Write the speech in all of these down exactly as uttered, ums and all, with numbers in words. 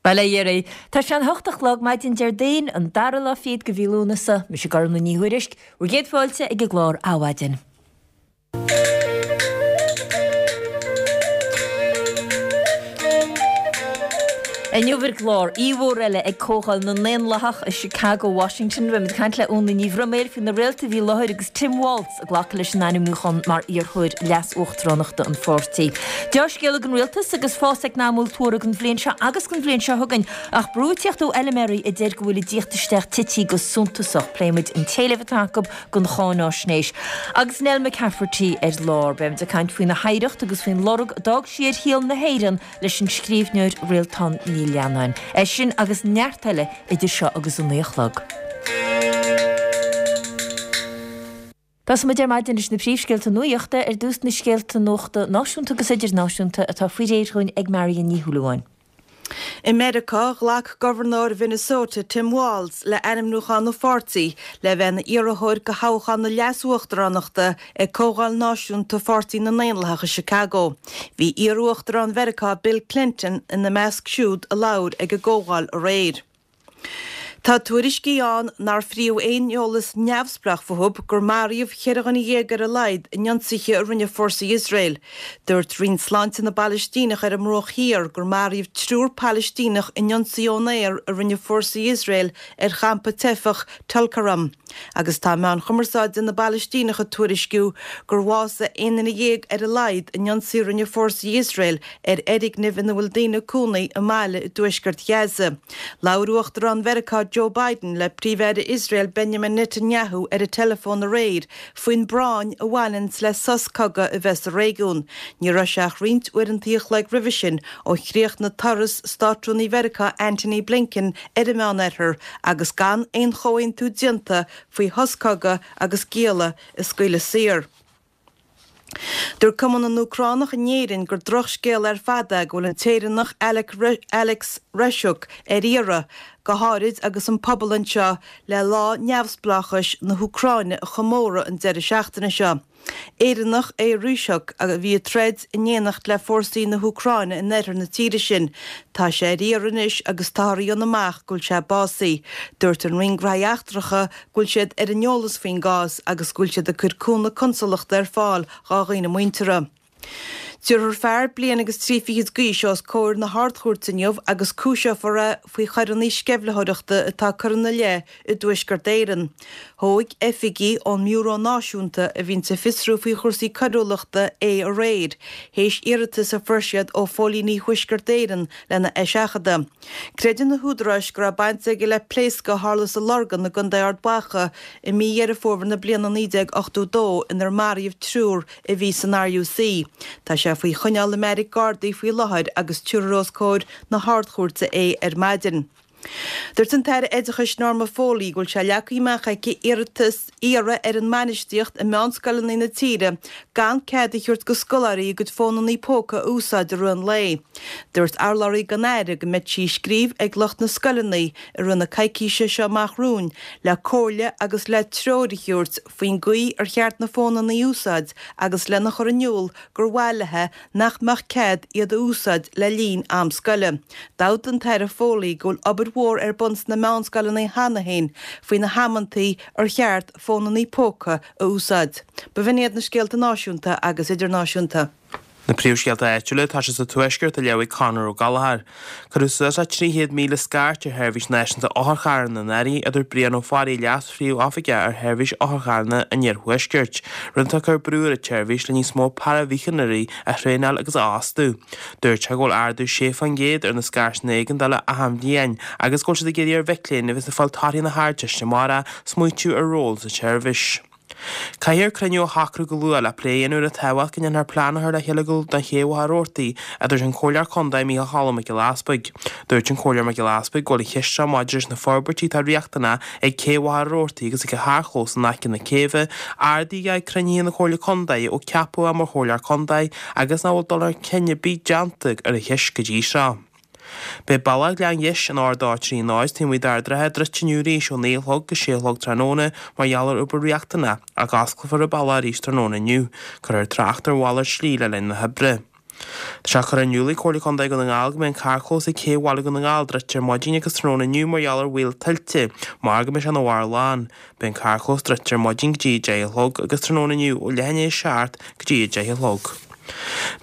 Bail ó Dhia oraibh. Tá sé an hocht a chlog maidin Déardaoin, an dara lá fichead de mhí Lúnasa. Mise Gormlaith Ní Thuairisg, bhur gcéad fáilte ag an gclár Adhmhaidin. Inniu ar an gclár, aoi mhór eile ag Comhdháil na nDaonlathach i Chicago, Washington. Beimid ag caint le Úna Ní Bhroiméil faoi na réaltaí a bhí i láthair agus Tim Walz ag glacadh leis an ainmniúchán mar iarrthóir leas-uachtaránachta an pháirtí. Dea-scéala don rialtas agus fás eacnamúil tuartha don bhliain seo agus don bhliain seo chugainn, ach brú ag tíocht ó fheilméaraí a deir go bhfuil a dtíocht isteach tití go suntasach. Pléimid an t-éileamh atá acu don cháináisnéis. Agus Nell McCafferty ar lár, beimid ag caint faoina hoidhreacht agus faoin lorg a d'fhág sí ar shaol na hÉireann leis an scríbhneoir Réaltán Ní Leannáin. É sin agus neart eile idir seo agus a naoi a chlog. Tosóimid ar maidin leis na príomhscéalta nuachta, ar dtús na scéalta nuachta náisiúnta agus idirnáisiúnta atá faoi réir dhúinn ag Marion Ní Shúilleabháin. I Meiriceá, ghlac Gobharnóir Mhinnesota, Tim Walz, le ainmniúchán an pháirtí le bheith ina iarrthóir do thoghchán na leas-uachtaránachta ag Comhdháil Náisiúnta Pháirtí na nDaonlathach i Chicago. Bhí iar-uachtarán Mheiriceá Bill Clinton ina measc siúd a labhair ag an gcomhdháil aréir. Tá tuairiscí ann nár fríodh aon eolas neamhspleách fúthu gur maraíodh cheithre dhuine dhéag ar a laghad in ionsaithe a rinne fórsaí Iosrael. Dúirt Roinn Sláinte na bPalaistíneach ar an mBruach Thiar gur maraíodh triúr Palaistíneach in ionsaí ón aer a rinne fórsaí Iosrael ar champa teifeach Tulkarem. Agus tá meáin chumarsáide na bPalaistíneach ag tuairisciú gur bhásaigh aon duine dhéag ar a laghad in ionsaí a rinne fórsaí Iosrael ar fhoirgneamh ina bhfuil daoine ag cónaí i mbaile i dtuaisceart Ghaza. Labhair Uachtarán Mheiriceá Joe Biden le Príomh-Aire Iosrael Benjamin Netanyahu ar an teileafón aréir faoin bpráinn a bhaineanns le sos cogaidh a bheith sa réigiún. Ní raibh sé ach roinnt uaireanta a chloig roimhe sin ó chríochnaigh turas Státrúnaí Mheiriceá Antony Blinken ar an Meánoirthear agus gan aon chomhaontú déanta faoi shos cogaidh agus gialla a scaoileadh saor. Dúirt Cumann na nÚcránach in Éirinn gur drochscéal ar fad é go bhfuil an tÉireannach Alex Reshuk ar iarraidh, go háirid agus an pobal anseo le lá neamhspleáchais na hÚcráine a chomóradh an deireadh seachtaine seo. Éireannach é Reshuk a bhí ag troid in éineacht le fórsaí na hÚcráine in oirthear na tíre sin. Tá sé ar iarraidh anois agus táthar a dhéanamh amach go bhfuil sé básaithe. Dúirt an Roinn Gnóthaí Eachtracha go bhfuil siad ar an eolas faoin gcás agus go bhfuil siad ag cur cúnamh consalachta ar fáil dhá dhaoine muinteartha. Tabharfar fear bliain agus trí fichid d'aois os comhair na hArd-Chúirte inniu agus cúiseofar é faoi choireanna sceimhlitheoireachta atá curtha ina leith i dTuaisceart Éireann. Thóg oifigigh ón mBiúró Náisiúnta a bhíonns ag fiosrú faoi chúrsaí coiriúlachta é aréir, théis iarratas a fuair siad ó phóilíní Thuaisceart Éireann lena eiseachadadh. Creideann na húdaráis go raibh baint aige le pléascadh a tharla sa Lorgain i gContae Ard Mhacha i mí Dheireadh Fómhair na bliana naoi déag ochtó dó inar maraíodh triúr a bhí san RUC. Tá sé faoi choinneáil i mbeairic Gardaí faoi láthair agus tabharfar os comhair na hArd-Chúirte é ar maidin. Dúirt an tAire Oideachais Norma Foley go bhfuil sé leagtha amach aici iarratas iarraidh ar an mbainistíocht i meánscoileanna na tíre gan cead a thabhairt go scoláirí a gcuid fónanna póca a úsáid i rith an lae. Dúirt urlabhraí don Aire go mbeidh sí ag scríobh ag lucht na scoileanna i rith na coicíse seo amach romhainn le comhairle agus le treoir a thabhairt faoin gcaoi ar cheart na fónanna a úsáid agus lena chur in iúl gur mhaith léi nach mbeadh cead iad a úsáid le linn am scoile. D'admhaigh an tAire Foley go bhfuil obair mhór ar bun sna meánscoileanna cheana féin faoi na hamantaí ar cheart fónanna póca a úsáid. B'in iad na scéalta náisiúnta agus idirnáisiúnta. Na príomhscéalta áitiúla, tá sé sa Tuaisceart á léamh ag Conor Ó Gallchóir. Cuireadh suas le trí chéad míle scairt ar Sheirbhís Náisiúnta Otharcharranna anuraidh, a dúirt Brian Ó Fearraigh, Leas-Phríomh-Oifigeach ar Sheirbhís Otharcharranna an Iarthuaiscirt, rud atá ag cur brú ar an tseirbhís le níos mó paraimhíochaineoirí a thraenáil agus a fhostú. Dúirt sé go bhfuil ardú sé faoin gcéad ar na scairteanna éigeandála achan bhliain agus go bhfuil siad ag iarraidh ar mhic léinn a bheas ag fáil torthaí na hArdteiste amárach smaoitiú ar ról sa tseirbhís. Caithfear cruinniú a shocrú go luath le plé a dhéanamh ar an tábhacht go ndéanfar plean a chur le chéile do Ché Mhachaire Rabhartaigh, a dúirt an Comhairleoir Contae Micheál Cholm Mac Giolla Easpaig. Dúirt an Comhairleoir Mac Giolla Easpaig go bhfuil an cheist seo maidir leis na forbairtí atá riachtanach ag Cé Mhachaire Rabhartaigh agus ag a charrchlós in aice na céibhe ardaithe ag cruinnithe na Comhairle Contae ó ceapadh é mar Chomhairleoir Contae agus nach bhfuil dul chun cinn ar bith déanta ar an cheist go dtí seo. Beidh Bealach Ghleann Gheis an R dó trí náid taobh amuigh d'Ard an Rátha druidte inniu arís ó naoi a chlog go sé a chlog tráthnóna mar gheall ar obair riachtanach, ach osclófar an bealach arís tráthnóna inniu. Cuirfear trácht ar mhalairt slí le linn na hoibre. Tá sé curtha in iúl ag Comhairle Contae Dhún na nGall go mbeidh an carrchlós ag Cé Bhaile Dhún na nGall druidte ar maidin agus tráthnóna inniu mar gheall ar bhaol tuilte, mar go mbeidh sé ina bharr lán. Beidh an carrchlós druidte ar maidin go dtí a deich a chlog agus tráthnóna inniu ó leath i ndiaidh a seacht go dtí a deich a chlog.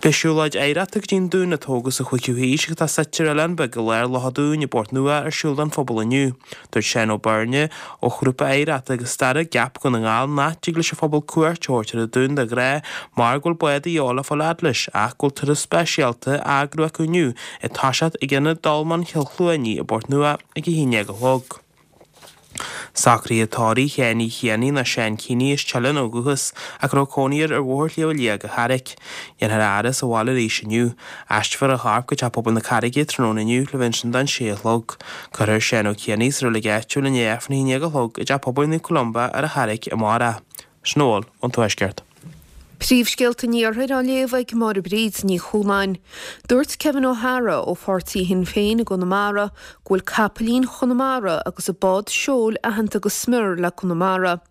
Beidh siúlóid oidhreachta go dtí an dún a tógadh sa chúigiú haois agus atá suite ar oileán beag i lár Loch an Dúin i bPort Nua ar siúl don phobal inniu. Dúirt Seán Ó Beirne ó Ghrúpa Oidhreachta agus Staire Gap Dhún na nGall nach dtig leis an phobal cuairt a thabhairt ar an dún de ghnáth mar go bhfuil bád de dhíobháil le fáil fhad leis ach go bhfuil turas speisialta á eagrú acu inniu ag toiseacht ag Ionad Dolmain Chill Chluanaí i bPort Nua ag a haon déag a chlog. Socruithe tórraimh Sheáin Uí Chianaigh nó Seán Keeney as Teileann ó dhúchas ach a raibh cónaí air ar Bhóthar Shliabh Liag an Charraic. Dhéanfar a fhaire sa bhaile arís inniu. Aistreofar a chorp go Teach Pobail na Carraige tráthnóna inniu le bheith ansin don sé a chlog. Cuirfear Seán Ó Cianaigh sa reilig áitiúil i ndiaidh Aifreann a haon déag a chlog i dTeach Pobail Naomh Columba ar an Charraic amárach. Sin a bhfuil ón Tuaisceart. Príomhscéalta an Iarthair á léamh ag Máire Bríd Ní Chualáin. Dúirt Kevin O'Hara ó pháirtí Shinn Féin i gConamara go bhfuil capaillín Chonamara agus a bád seoil aitheanta go smior le Conamara.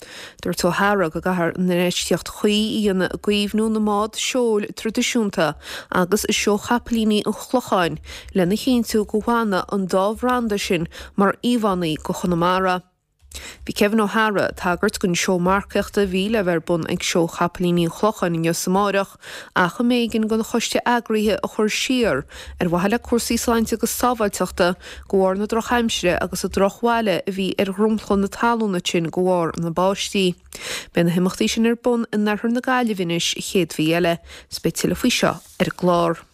Dúirt O'Hara go gcaithfear an infheistíocht chuí a dhéanamh i gcaomhnú na mbád seoil traidisiúnta agus i seó chapaillíní an Chlocháin lena chinntiú go bhfanfaidh an dá bhranda sin mar íomhánna go Chonamara. Bhí Kevin O'Hara ag tagairt don seó marcaíochta a bhí le bheith ar bun ag Seó Chapaillíní an Chlocháin inniu is amárach ach a mb'éigean don choiste eagraithe a chur siar ar mhaithe le cúrsaí sláinte agus sábháilteachta de bharr na drochaimsire agus an drochbhaile a bhí ar dhromchla na talún ansin de bharr na báistí. Beidh na himeachtaí sin ar bun in oirthear na Gaillimhe anois an chéad mhí eile. Is beidh tuilleadh faoi seo ar an gclár.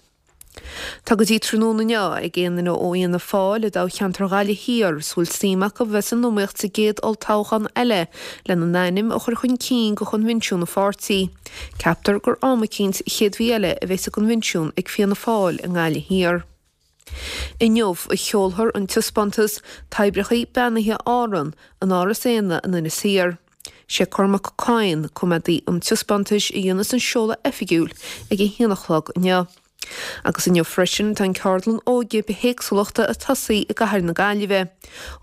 Tá go dtí tráthnóna inniu ag aon duine ó Fhianna Fáil i dtoghcheantar Ghaillimh Thiar is a bhfuil suim acu bheith san iomaíocht sa gcéad olltoghchán eile lena n-ainm a chur chun cinn go choinbhinsiún an pháirtí. Ceaptar gur am eicínt an chéad mhí eile a bheas an coinbhinsiún ag Fianna Fáil i nGaillimh Thiar. Inniu a sheolfar an taispeántas Toibreacha Beannaithe Árann in Áras Éanna in Inis Oírr. Sé Cormac Coyne, coimeádaí an taispeántais a dhéanfas an seoladh oifigiúil ag a haon a chlog inniu. Agus inniu freisin tá an ceardlann óige bithéagsúlachta ag tosaí i gcathair na Gaillimhe.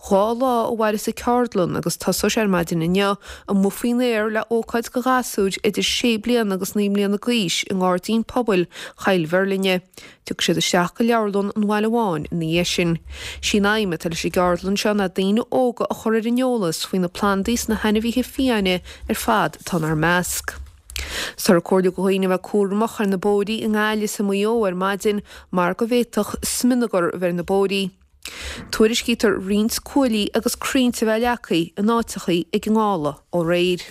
Dhá lá a mhairfeas an ceardlann agus tosóidh sé ar maidin inniu amuigh faoin aer le ócáid do ghasúir idir sé bliana agus naoi mbliana d'aois i nGairdín Pobail Choill Mheirlinne. Tiocfaidh siad isteach go Leabharlann an Bhaile Bháin ina dhiaidh sin. Sí an aidhm atá leis an gceardlann seo ná daoine óga a chur ar an eolas faoi na plandaí is na hainmhithe fiáine ar fad atá inár measc. Táthar ag comhairliú do dhaoine a bheith cúramach ar na bóithrí i nGaillimh is i Maigh Eo ar maidin mar go bhféadfadh smionagar a bheith ar na bóithrí. Tuairiscítear roinnt cuaillí agus crainnte a bheith leagtha in áiteachaí ag an ngála ó aréir.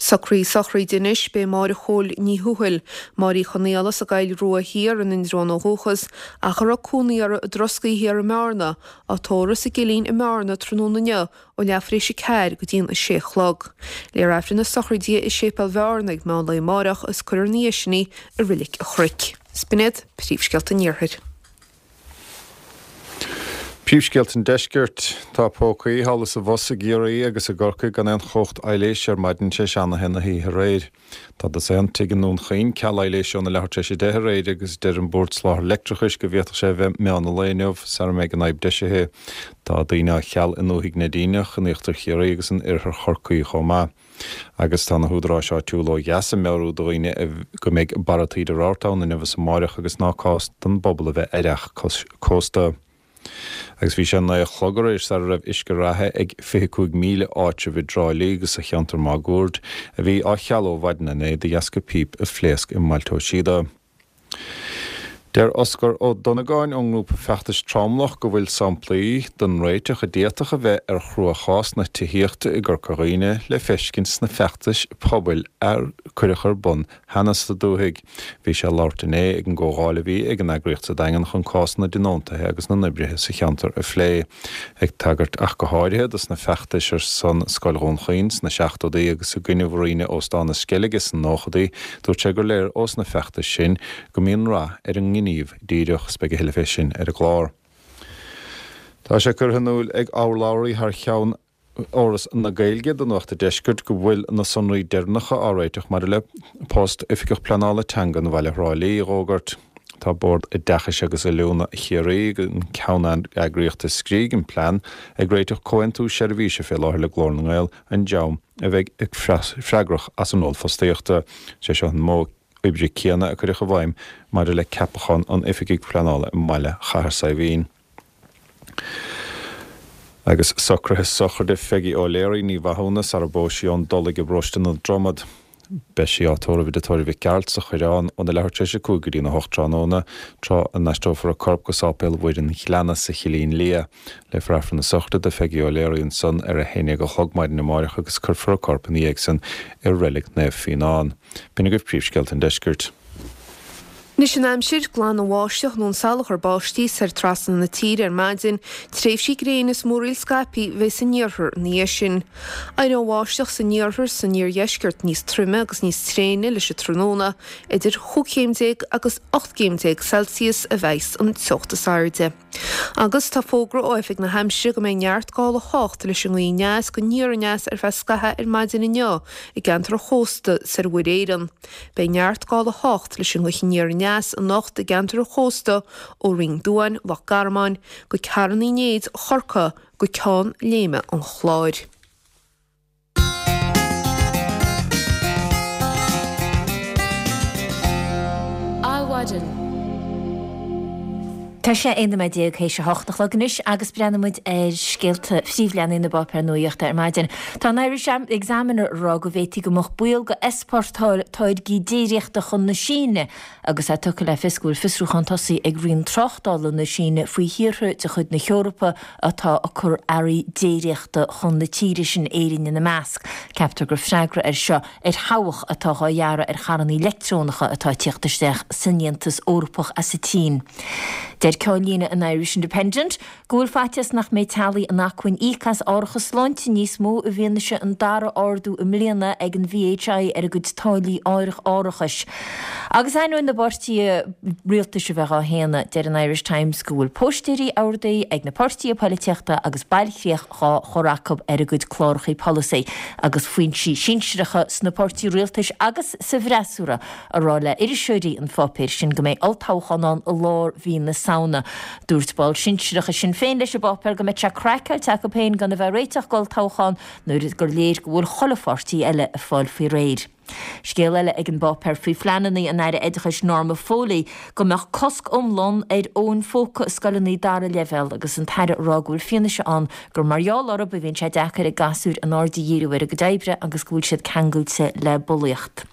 Socruithe sochraide anois, beidh Máire Chóil Ní Thuathail, Máire Uí Chonaola as an gCoill Rua Thiar in Indreabhán ó dhúchas, ach a raibh cónaí uirthi i dTroscaí Thiar i mBearna, á tórramh sa gCillín i mBearna tráthnóna inniu ó leathuair tar éis a ceathair go dtí'n a sé a chlog. Léifear Aifreann na sochraide di i Séipéal Bhearna ag meán lae amárach is cuirfear ina dhiaidh sin í i Reilig an Chnoic. 'S b'in iad príomhscéalta an Iarthair. Príomhscéalta an Deiscirt. Tá pócaí thall is abhus i gCiarraí agus i gCorcaigh gan aon chumhacht aibhléise ar maidin tar éis a haon na hoíche aréir. Tá dosaen tigh i nDún Chaoin ceal aibhléise óna leathuair tar éis a deich aréir agus deir an Bord Soláthair Leictreachais go bhféadfadh sé a bheith meán an lae inniu sara mbeidh an fhadhb deisithe. Tá daoine á cheal i ndúthaigh Neidíneach, in íochtar Chiarraí agus in oirthear Chorcaí chomh maith. Agus tá na húdaráis áitiúla ó dheas ag meabhrú do dhaoine go mbeidh barra taoide rabharta ann inniu is amáireach agus ná cás don bpobal a bheith ar feadh cósta. Agus bhí sé naoi a chlog aréir sara raibh uisce reatha ag fiche cúig míle áitreabh i dTrá Lí agus sa cheantar máguaird, a bhí á chealú ó mhaidin inné de dheasca píp a phléasc i mBailte Ó Síoda. Deir Oscar Ó Donnagáin ón ngrúpa feachtais Tromlach go bhfuil samplaí den réiteach a d'fhéadfadh a bheith ar chruachás na tithíochta i gCorca Dhuibhne le feiscint sna feachtais pobail a cuireadh ar bun cheana sa dúthaigh. Bhí sé ag labhairt inné ag an gcomhdháil a bhí ag an eagraíocht sa Daingean chun cás na dtionóntaithe agus na n-oibrithe sa cheantar a phlé. Ag tagairt ach go háirithe dos na feachtais ar son Scoil Dhún Chaoin sna seachtóidí agus i gcoinne Mhuiríne Óstán na Sceilge sna nóchaidí, dúirt sé gur léir ós na feachtais sin go mbíonn rath ar an ngníomh díreach. 'S beidh a thuilleadh fé sin ar an gclár. Tá sé curtha in iúl ag urlabhraí thar cheann Fhoras na Gaeilge do Nuacht an Deiscirt go bhfuil na sonraí deireanacha á réiteach maidir le post Oifigeach Pleanála Teanga do bhaile Thrá Lí a dh'fhógairt. Tá Bord Oideachais agus Oiliúna Chiarraí, an ceanneagraíocht a scrígh an plean, ag réiteach comhaontú seirbhíse fé láthair le Glór na nGael, an dream a bheidh freagrach as an ról fostaíochta. Sé seo an modh oibre céanna a cuireadh i bhfeidhm maidir le ceapachán an oifigigh pleanála i mbaile Chathair Saidhbhín. Agus socruithe sochraide Pheigí O'Leary Ní Mhathúna sara bpós sí ón Dulaigh i bparóiste na Dromad. Beidh sí á tórramh i dTigh Tórraimh Mhic Gearailt sa Choireán óna leathuair tar éis a cúig go dtína hocht tráthnóna, tráth a n-aistreofar a corp go Sáipéal Mhuire an Ghleanna sa Chillín Liath. Léifear Aifreann na sochraide do Pheigí O'Leary ansan ar a haon déag a chlog maidin amáireach agus cuirfear a corp ina dhiaidh san i Reilig Naomh Fíonán. B'in agaibh príomhscéalta an deiscirt. Anois an aimsir, glanbháisteach nó an salachar báistí soir trasna na tíre ar maidin, tréimhsí gréine is múraíl scaipthe a bheidh san iarthar ina dhiaidh sin. Éireoidh an bháisteach san iarthar is san iardheisceart níos troime agus níos tréine leis an tráthnóna, idir chúig chéim déag agus ocht gcéim déag Celsius a bheidh an teocht is airde. Agus tá fógra ó Oifig na hAimsire go mbeidh neart gála a hocht leis an ngaoth aneas go aniar aneas ar feadh scaithimh ar maidin inniu i gceantar an chósta soir Mhuir Éireann. Beidh neart gála a hocht leis an ngaoth aniar aneas anocht i gceantar an chósta ó Rinn Duáin, Loch Garman, go Carn Uí Néid, Chorcaí, go Ceann Léime an Chláir. Adhmhaidin. Tá sé aon nóiméad déag théis a hocht a chlog anois agus breathnaíonn muid ar scéalta phríomhleathanaigh na bpáipéar nuaíochta ar maidin. Tá an Irish Examiner ag rá go bhféadfaí go mbeadh baol go easpórtáil táirgí déiríochta chun na Síne agus é tugtha le fios go bhfuil fiosrúchán tosaithe ag Roinn Tráchtála na Síne faoi thíortha de chuid na hEorpa atá ag cur earraí déiríochta chun na tíre sin, Éirinn ina measc. Ceaptar gur freagra air seo ar thobhach atá á ghearradh ar charranna leictreonacha atá ag tíocht isteach san Aontas Eorpach as an tSín. Deir ceannlíne an Irish Independent go bhfuil faitíos nach mbeidh teaghlaigh in acmhainn íoc as árachas sláinte níos mó i bhfianaise an dara ardú i mbliana ag an VHI ar a gcuid táillí árachais. Agus ainneoin na bpáirtithe rialtais a bheith á shéanadh, deir an Irish Times go bhfuil póstaeirí ardaithe ag na páirtithe polaitíochta agus bailchríoch dhá chur acu ar a gcuid cláracha polasaí agus foinsí sinsearacha sna páirtithe rialtais agus sa bhfreasúra a rá le iriseoirí an pháipéir sin go mbeidh olltoghchán ann i lár mhí na Samhna. Dúirt ball sinsearach i Sinn Féin leis an bpáipéar go mbeadh sé craiceáilte acu féin gan a bheith ag réiteach d'olltoghchán nuair gur léir go bhfuil chuile pháirtí eile ag fáil faoi réir. Scéal eile ag an bpáipéar faoi phleananna an Aire Oideachais Norma Foley go mbeadh cosc iomlán ar fhóin phóca i scoileanna dara leibhéal agus an tAire ag rá go bhfuil fianaise ann gur mar gheall orthu a bhíonn sé deacair ag gasúir a n-aird a dhíriú ar a gcuid oibre agus go bhfuil siad ceangailte le bulaíocht.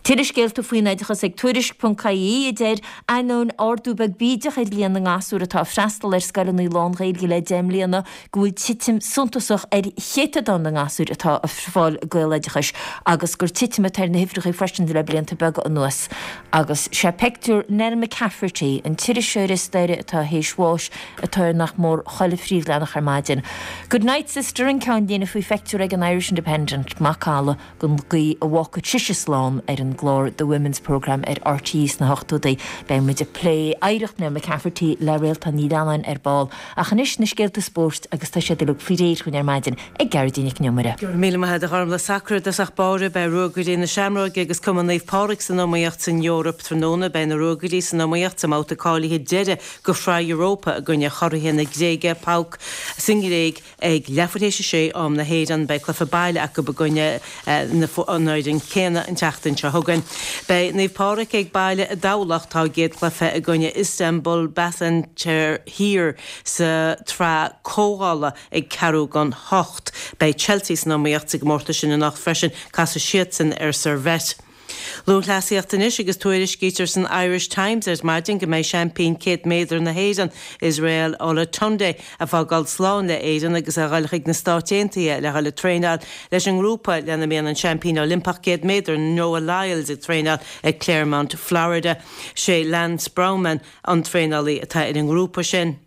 Tuilleadh scéalta faoin oideachas ag Tuairisc ponc ie a deir, ainneoin ardú beag bídeach ar líon na ngasúr atá ag freastal ar scoileanna lán-Ghaeilge le deich mbliana, go bhfuil titim suntasach ar chéatadán na ngasúr atá ag fáil Gaeloideachais agus gur titim atá ar na huimhreacha freisin le blianta beaga anuas. Agus sé peictiúr Nell McCafferty, an t-iriseoir staire atá théis bháis, atá ar nach mór chuile phríomhleathanach ar maidin. Good night sister an ceannlíne faoi phictiúr ag an Irish Independent, macalla den gcaoi a bhfágfadh sise slán ar an gclár The Women's Programme ar RTÉ sna hochtóidí. Beidh muid ag plé oidhreacht Nell McCafferty le Réaltán Ní Leannáin ar ball. Ach anois na scéalta spóirt agus tá siad uilig faoi réir chugainn ar maidin ag Gearóidín Nic an Iomaire. Go raibh míle maith agat a Ghormfhlaith. Sacar i dtosach báire, beidh Ruagairí na Seamróige agus Cumann Naomh Pádraig san iomaíocht san Eoraip tráthnóna. Beidh na Ruagairí san iomaíocht sa mbabhta cáilithe deiridh do Shraith Europa i gcoinne churaithe na Gréige, PAOK, sa nGréig ag leathuair théis a sé am na hÉireann. Beidh cluiche baile acu i gcoinne an fhoireann céanna an tseachtain seo chugainn. Beidh Naomh Pádraig ag baile i dTamhlacht. Tá a gcéad chluiche i gcoinne Istanbul Basaksehir sa tsraith comhdhála ag ceathrú don hocht. Beidh Chelsea san iomaíocht sa gcomórtas sin anocht freisin, casfaidh siadsan ar Servette. Lúthchleasaíocht anois agus tuairiscítear san Irish Times ar maidin go mbeidh seaimpín céad méadar na hÉireann, Israel Olatunde, ag fágáil slán le Éirinn agus a dhul chuig na Stáit Aontaithe le dhul ag traenáil leis an ngrúpa lena mbíonn an seaimpín Oilimpeach céad méadar Noah Lyles ag traenáil i Clermont, Florida. Sé Lance Brauman an traenálaí atá ar an ngrúpa sin.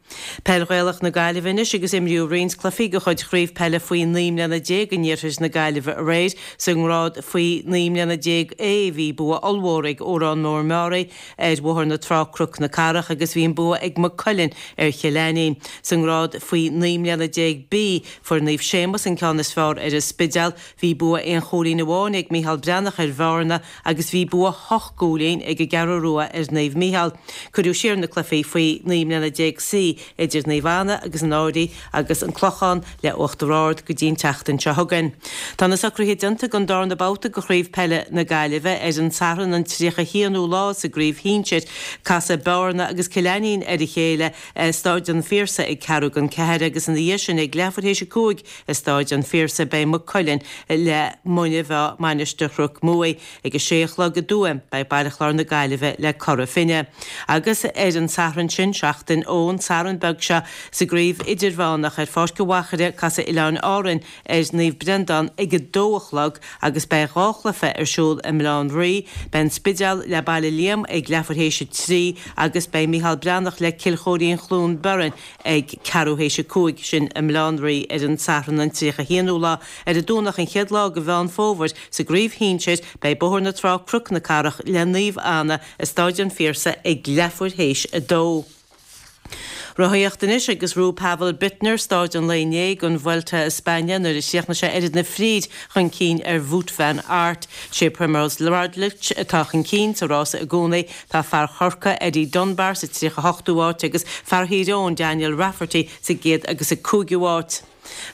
Peil Ghaelach na Gaillimhe anois agus imríodh roinnt cluichí de chuid Chraobh Peile faoi naoi mbliana déag in iarthar na Gaillimhe aréir. Sa ngrád faoi naoi mbliana déag A bhí bua ollmhór ag Órán Mór Meáraí ar Bhóthar na Trá Cnoc na Cathrach agus bhí an bua ag Maigh Cuilinn ar Chill Ainnín. Sa ngrád faoi naoi mbliana déag B fuair Naomh Séamus an ceann is fearr ar an Spidéal. Bhí bua aon chúilín amháin ag Micheál Breathnach ar Bhearna agus bhí bua hocht gcúilín ag an gCeathrú Rua ar Naomh Mícheál. Cuireadh siar na cluichí faoi naoi mbliana déag C idir Naomh Anna agus an Araidh agus an Clochán le Uachtar Ard go dtí an tseachtain seo chugainn. Tá na socruithe déanta don darna babhta de Chraobh Peile na Gaillimhe ar an Satharn an tríocha haonú lá sa gcraobh shinsir. Casfaidh Bearna agus Cill Ainnín ar a chéile i Stáid an Phiarsaigh ag ceathrú don ceathair agus ina dhiaidh sin ag leathuair théis a cúig i Stáid an Phiarsaigh beidh Maigh Cuilinn le Muine Mheá Mainistir Chnoc Muaidh. Ag a sé a chlog i dTuaim beidh Baile Chláir na Gaillimhe le Cora Finne. Agus ar an Satharn sin, seachtain ón Satharn beag seo, sa gcraobh idirmheánach ar Pháirc an Mhachaire casfaidh Oileáin Árainn ar Naomh Breandán ag a dó a chlog agus beidh dhá chluiche ar siúl i mBaile Átha an Rí, beidh An Spidéal le Baile Liam ag leathuair théis a trí agus beidh Micheál Breathnach le Cill Chóirín Chluain Bheirn ag ceathrú théis a cúig, sin i mBaile Átha an Rí ar an Satharn an tríocha haonú lá. Ar an Domhnach an chéad lá de Mheán Fómhair sa gcraobh shinsir beidh Bóthar na Trá Cnoc na Cathrach le Naomh Anna i Stáid an Phiarsaigh ag leathuair théis a dó. Rothaíocht anois agus ghnóthaigh Pavel Bittner stáid an lae inné den Vuelta a España nuair a chríochnaigh sé oiread na fríd chun cinn ar Wout van Aert. Sé Primoz Roglic atá chun cinn sa rása i gcónaí. Tá fear Chorcaí Eddie Dunbar sa tríocha hochtú áit agus fear Thír Eoghain Daniel Rafferty sa gcéad agus a cúigiú áit.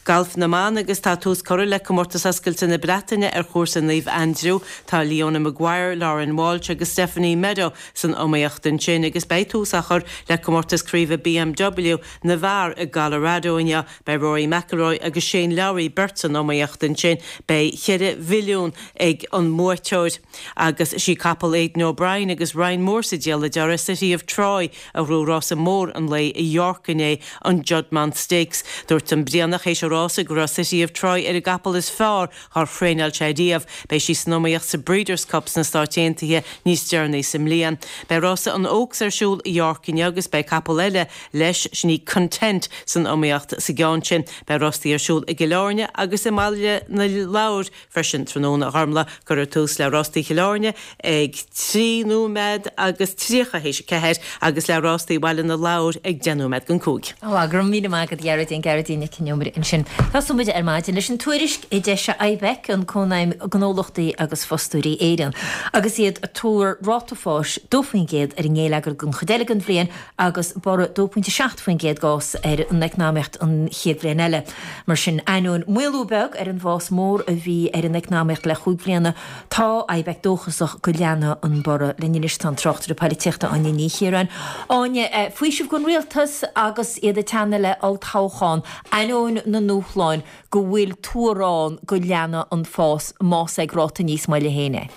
Galf na mban agus tá tús curtha le Comórtas Oscailte na Breataine ar chúrsa Naomh Aindriú. Tá Leona Maguire, Lauren Walsh agus Stephanie Meadow san iomaíocht ansin agus beidh tús á chur le Comórtas Craoibhe B M W na bhfear i gColorado inniu. Beidh Rory McIlroy agus Shane Lowry beirt san iomaíocht ansin. Beidh ceithre mhilliún ag an mbuaiteoir. Agus sí capall Aidan O'Brien agus Ryan Moore sa diabhal a deir City of Troy a ghnóthaigh rása mór an lae i York inné, an Juddmonte Stakes. Dúirt an Brianach théis an rása go raibh City of Troy ar an gcapall is fearr dhár thraenáil sé riamh. Beidh sí san iomaíocht sa Breeders' Cup sna Stáit Aontaithe níos deireanaí sa mbliain. Beidh rása an Oaks ar siúl i York inniu agus beidh capall eile leis, sin í Content, san iomaíocht sa gceann sin. Beidh rástaí ar siúl i gCill Airne agus i mBaile na Lobhar freisin tráthnóna. A Ghormlaith, cuirfear tús le rástaí Chill Airne ag trí nóiméad agus tríocha théis a ceathair agus le rástaí Bhaile na Lobhar ag deich nóiméad don cúig. Ó, go raibh míle maith agat, Gearóidín, Gearóidín Nic Con Iomaire ansin. Tosóidh muid ar maidin leis an tuairisc a d'eisigh IBEC, an Cónaidhm Gnólachtaí agus Fostóirí Éireann, agus iad ag tuar ráta fáis dó faoin gcéad ar an ngeilleagar don chuid eile den bhliain agus borradh dó pointe seacht faoin gcéad d'fhás ar an eacnamaíocht an chéad bhliain eile. Mar sin, ainneoin maolú beag ar an bhfás mór a bhí ar an eacnamaíocht le chúig bhliana, tá IBEC dóchasach go leanfaidh an borradh. Linn anois tá an tráchtaire polaitíochta Áine Ní Chiaráin. Áine, faoiseamh don rialtas agus iad ag teannadh le olltoghchán, ainneoin na ndúshláin, go bhfuil tuar ann go leanfaidh an fás más ag ráta níos moille féin é.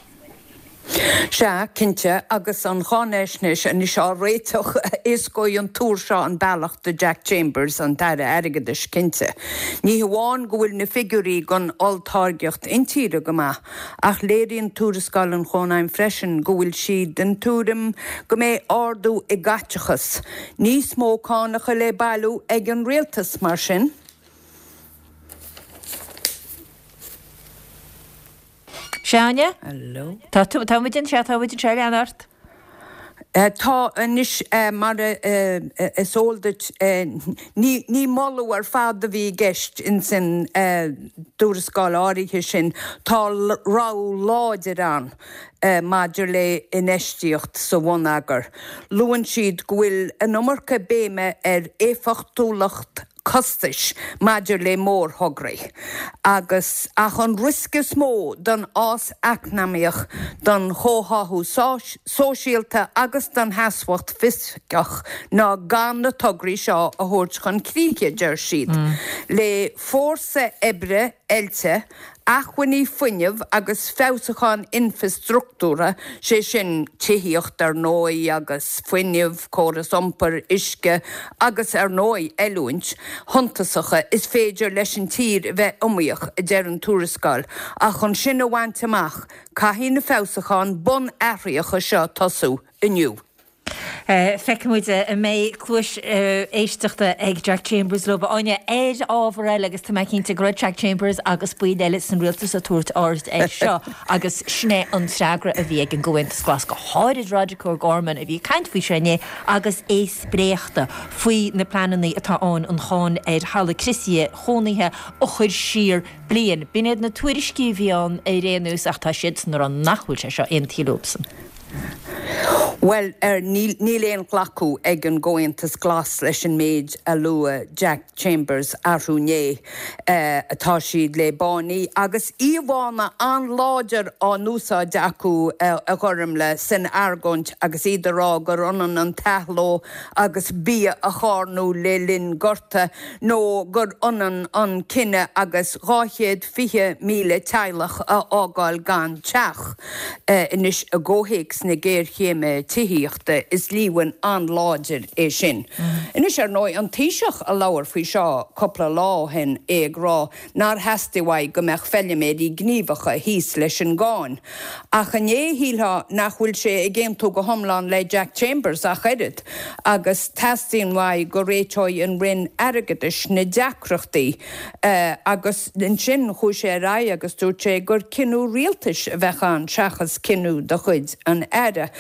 Sea, cinnte, agus an cháinaisnéis anois á réiteach, éascóidh an tuar seo an bealach do Jack Chambers, an tAire Airgeadais, cinnte. Ní hamháin go bhfuil na figiúirí don olltáirgeacht intíre go maith, ach léiríonn tuarascáil an Chónaidhm freisin go bhfuil siad den tuairim go mbeidh ardú i gcaiteachas, níos mó cánacha le bailiú ag an rialtas, mar sin. Sea, Áine? Hello. Tá tú, tá muid anseo, tá muid anseo, lean ort. Tá anois, mar is eol duit, ní ní moladh ar fad a bhí i gceist ins an dtuarascáil áirithe sin, tá rabhadh láidir ann maidir le infheistíocht sa bhonneagar. Luann siad go bhfuil an iomarca béime ar éifeachtúlacht costais maidir le mórthograí agus ach an riosca is mó don fhás eacnamaíoch, don chomhtháthú sóisialta agus don sheasmhacht fhioscach ná gan na tograí seo a thabhairt chun críche, deir siad. Le fórsa oibre oilte, acmhainní fuinnimh agus feabhsúcháin infreastruchtúrtha, sé sin tithíocht ar ndóigh agus fuinneamh, córas iompair, uisce agus ar ndóigh oiliúint shuntasacha, is féidir leis an tír a bheith iomaíoch, a deir an tuarascáil. Ach chun sin a bhaint amach, caithfidh na feabhsúcháin bunathraitheacha seo tosú inniu. Feicfidh muid an mbeidh cluais éisteachta ag Jack Chambers leo. Áine, ar ábhar eile, agus tá mé cinnte go raibh Jack Chambers agus baill eile san rialtas ag tabhairt aird air seo agus sin é an freagra a bhí ag an gComhaontas Glas, go háirid Roderic O'Gorman a bhí ag caint faoi seo inné agus é spréachta faoi na pleananna atá ann an cháin ar thalamh criosaithe chónaithe a chur siar bliain. B'in iad na tuairiscí a bhí ann ar aon nós ach tá siadsan ag rá nach bhfuil sé seo aontaithe leobsan. Bhuel, níl níl aon ghlacadh ag an gComhaontas Glas leis an méid a luaigh Jack Chambers arú inné. Tá siad le báiní agus íomhánna an-láidir á n-úsáid acu a Ghormlaith san argóint agus iad ag rá gur ionann an t-athló agus bia a charnadh le linn gorta nó gur ionann an cinneadh agus dhá chéad fiche míle teaghlach a fhágáil gan teach. Anois i gcomhthéacs na géarchéime tithíochta, is líomhain an-láidir é sin. Anois, ar ndóigh, an Taoiseach a labhair faoi seo cúpla lá ó shin, é ag rá nár theastaigh uaidh go mbeadh feiliméirí gníomhacha thíos leis an gcáin. Ach inné, shílfeá nach bhfuil sé ag aontú go hiomlán le Jack Chambers ach oiread, agus teastaíonn uaidh go réiteoidh an Roinn Airgeadais na deacrachtaí. Agus ansin chuaigh sé ar aghaidh agus dúirt sé gur cinneadh rialtais a bheadh ann seachas cinneadh de chuid an Aire.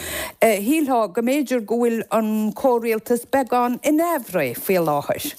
Shílfeá go mb'fhéidir go bhfuil an comhrialtas beagán in aimhréidh faoi láthair.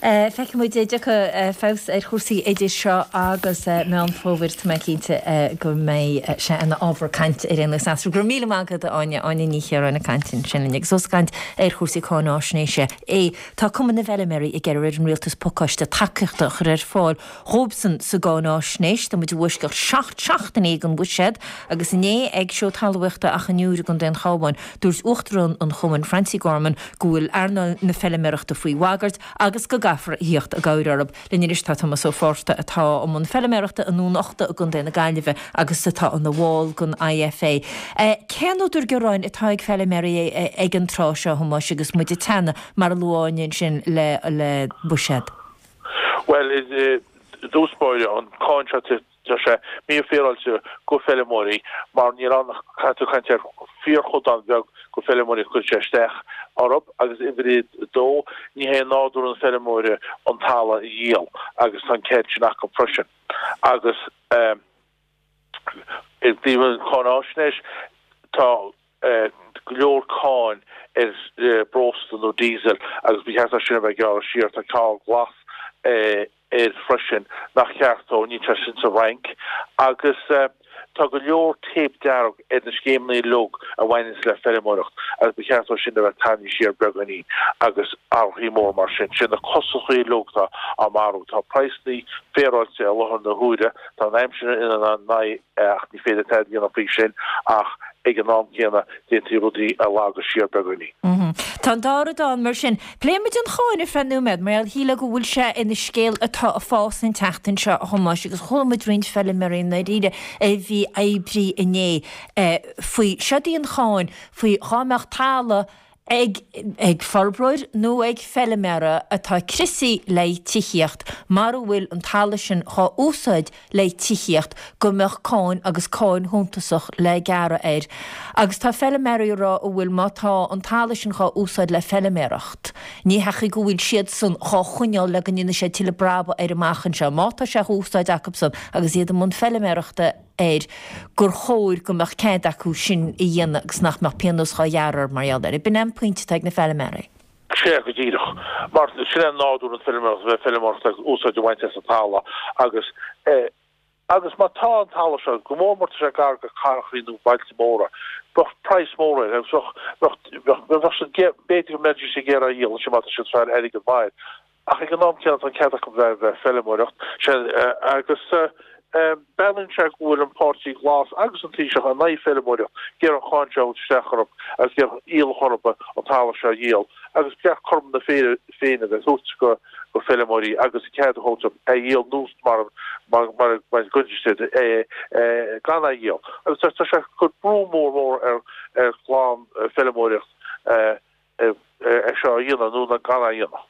Feicfidh muid an dtiocfaidh feabhas ar chúrsaí idir seo agus Meán Fómhair. Tá mé cinnte go mbeidh sé ina ábhar cainte ar aon nós eatarthu. Go raibh míle maith agat, a Áine. Áine Ní Chiaráin ag caint ansin linn agus ós ag caint ar chúrsaí cáináisnéise é. Tá Cumann na bhFeiliméaraí ag iarraidh ar an Rialtas pacáiste tacaíochta a chur ar fáil dhóibhsan sa gcáináisnéis. Tá muid i bhfoisceacht seacht seachtainí den bhuiséad agus inné ag Seó Talmhaíochta Achadh an Iúir i gContae an Chabháin, dúirt Uachtarán an Chumainn, Francie Gorman, go bhfuil earnáil na feiliméarachta faoi bhagairt agus go gcaithfear a thíocht i gcabhair orthu. Linn anois tá Tomás Ó Fátharta atá i mbun feiliméarachta i nDún Uchta i gContae na Gaillimhe agus atá ina bhall den IFA. Cén údar gearáin atá ag feiliméaraí ag an tráth seo, a Thomáis, agus muid ag teannadh, mar a luaigh Áine ansin, le le buiséad? Bhuel, i dtús báire, an cáin seo Tá sé mífhéaráilte go feilimeoirí mar níl ann ach caithfidh tú caint ar fíorchodán beag go feilimeoirí a chuireann sé isteach orthu agus uimhir a dó, ní hé nádúr an feilimeora an talamh a dhíol agus tá an cead sin acu freisin. Agus i dtaobh an cháináisnéis, tá go leor cáin ar breosla nó diesel agus ba cheart é sin a bheith gearrtha siar. Tá cáin ghlas air freisin nach ceart dó, níl sé sin sa Fhrainc. Agus tá go leor téip dearg ar na scéimeanna uilig a bhaineanns le feirmeoireacht agus ba cheart dó sin a bheith tarraingthe siar beagáinín agus athruithe mór mar sin. Sin na costasaí uilig atá á marú. Tá praghsanna féaráilte i láthair na huaire, tá an aimsir ina n-aghaidh ach ní féidir tada a dhéanamh faoi sin ach ag an am céanna d'fhéadfaí rudaí a leagadh siar beagáinín. Tá an dá rud ann mar sin. Pléifidh muid an cháin ar feadh nóiméad, mar shílfeá go bhfuil sé ina scéal atá ag fás an tseachtain seo, a Thomáis, agus chuala muid roinnt feiliméaraí i ndáiríre a bhí oibrí inné faoi. Seod í an cháin faoi dhá mbeadh talamh ag ag forbróir nó ag feiliméara atá criosaithe le tithíocht, mara bhfuil an talamh sin dhá úsáid le tithíocht, go mbeadh cáin agus cáin shuntasach le gearradh air. Agus tá feiliméaraí ag rá a bhfuil má tá an talamh sin dhá úsáid le feiliméaracht, ní heachaí go bhfuil siadsan dhá choinneáil le go ndéanfaidh siad tuilleadh brabaigh air amach anseo. Má tá sé dhá úsáid acubsan agus iad i mbun feiliméarachta air, gur chóir go mbeadh cead acu sin a dhéanamh agus nach mbeadh pionós dhá ghearradh orthu mar gheall air. B'in é an pointe atá ag na feiliméaraí. Sea, go díreach. Mar sin é nádúr an feiliméaracht, a bheith ag feiliméaracht agus úsáid a bhaint as an talamh agus agus má tá an talamh seo, go mór mór tá sé gar go cathrachaí nó bailte móra, bheadh praghas mór air agus bheadh, bheadh, bheadh siad, b'fhéidir go mbeidís ag iarraidh a dhíol ansin má tá siad ag fáil airgead maith air. Ach ag an am céanna tá an cead acu bheith ag feiliméaracht agus breathnaíonn sé go bhfuil an Páirtí Glas agus an Taoiseach in aghaidh feiliméaracht, ag iarraidh an cháin seo a thabhairt isteach orthu agus ag iarraidh iallach orthu an talamh seo a dhíol agus ba cheart cothrom na Féinne a bheith tabhairt go go feiliméaraí agus an cead a thabhairt dóibh é a dhíol nó mar mar mar mar gcoinne siad é gan é a dhíol agus tá sé ag cur brú mór mór ar ar ghlan feiliméaracht é seo a dhéanamh nó gan é a dhéanamh.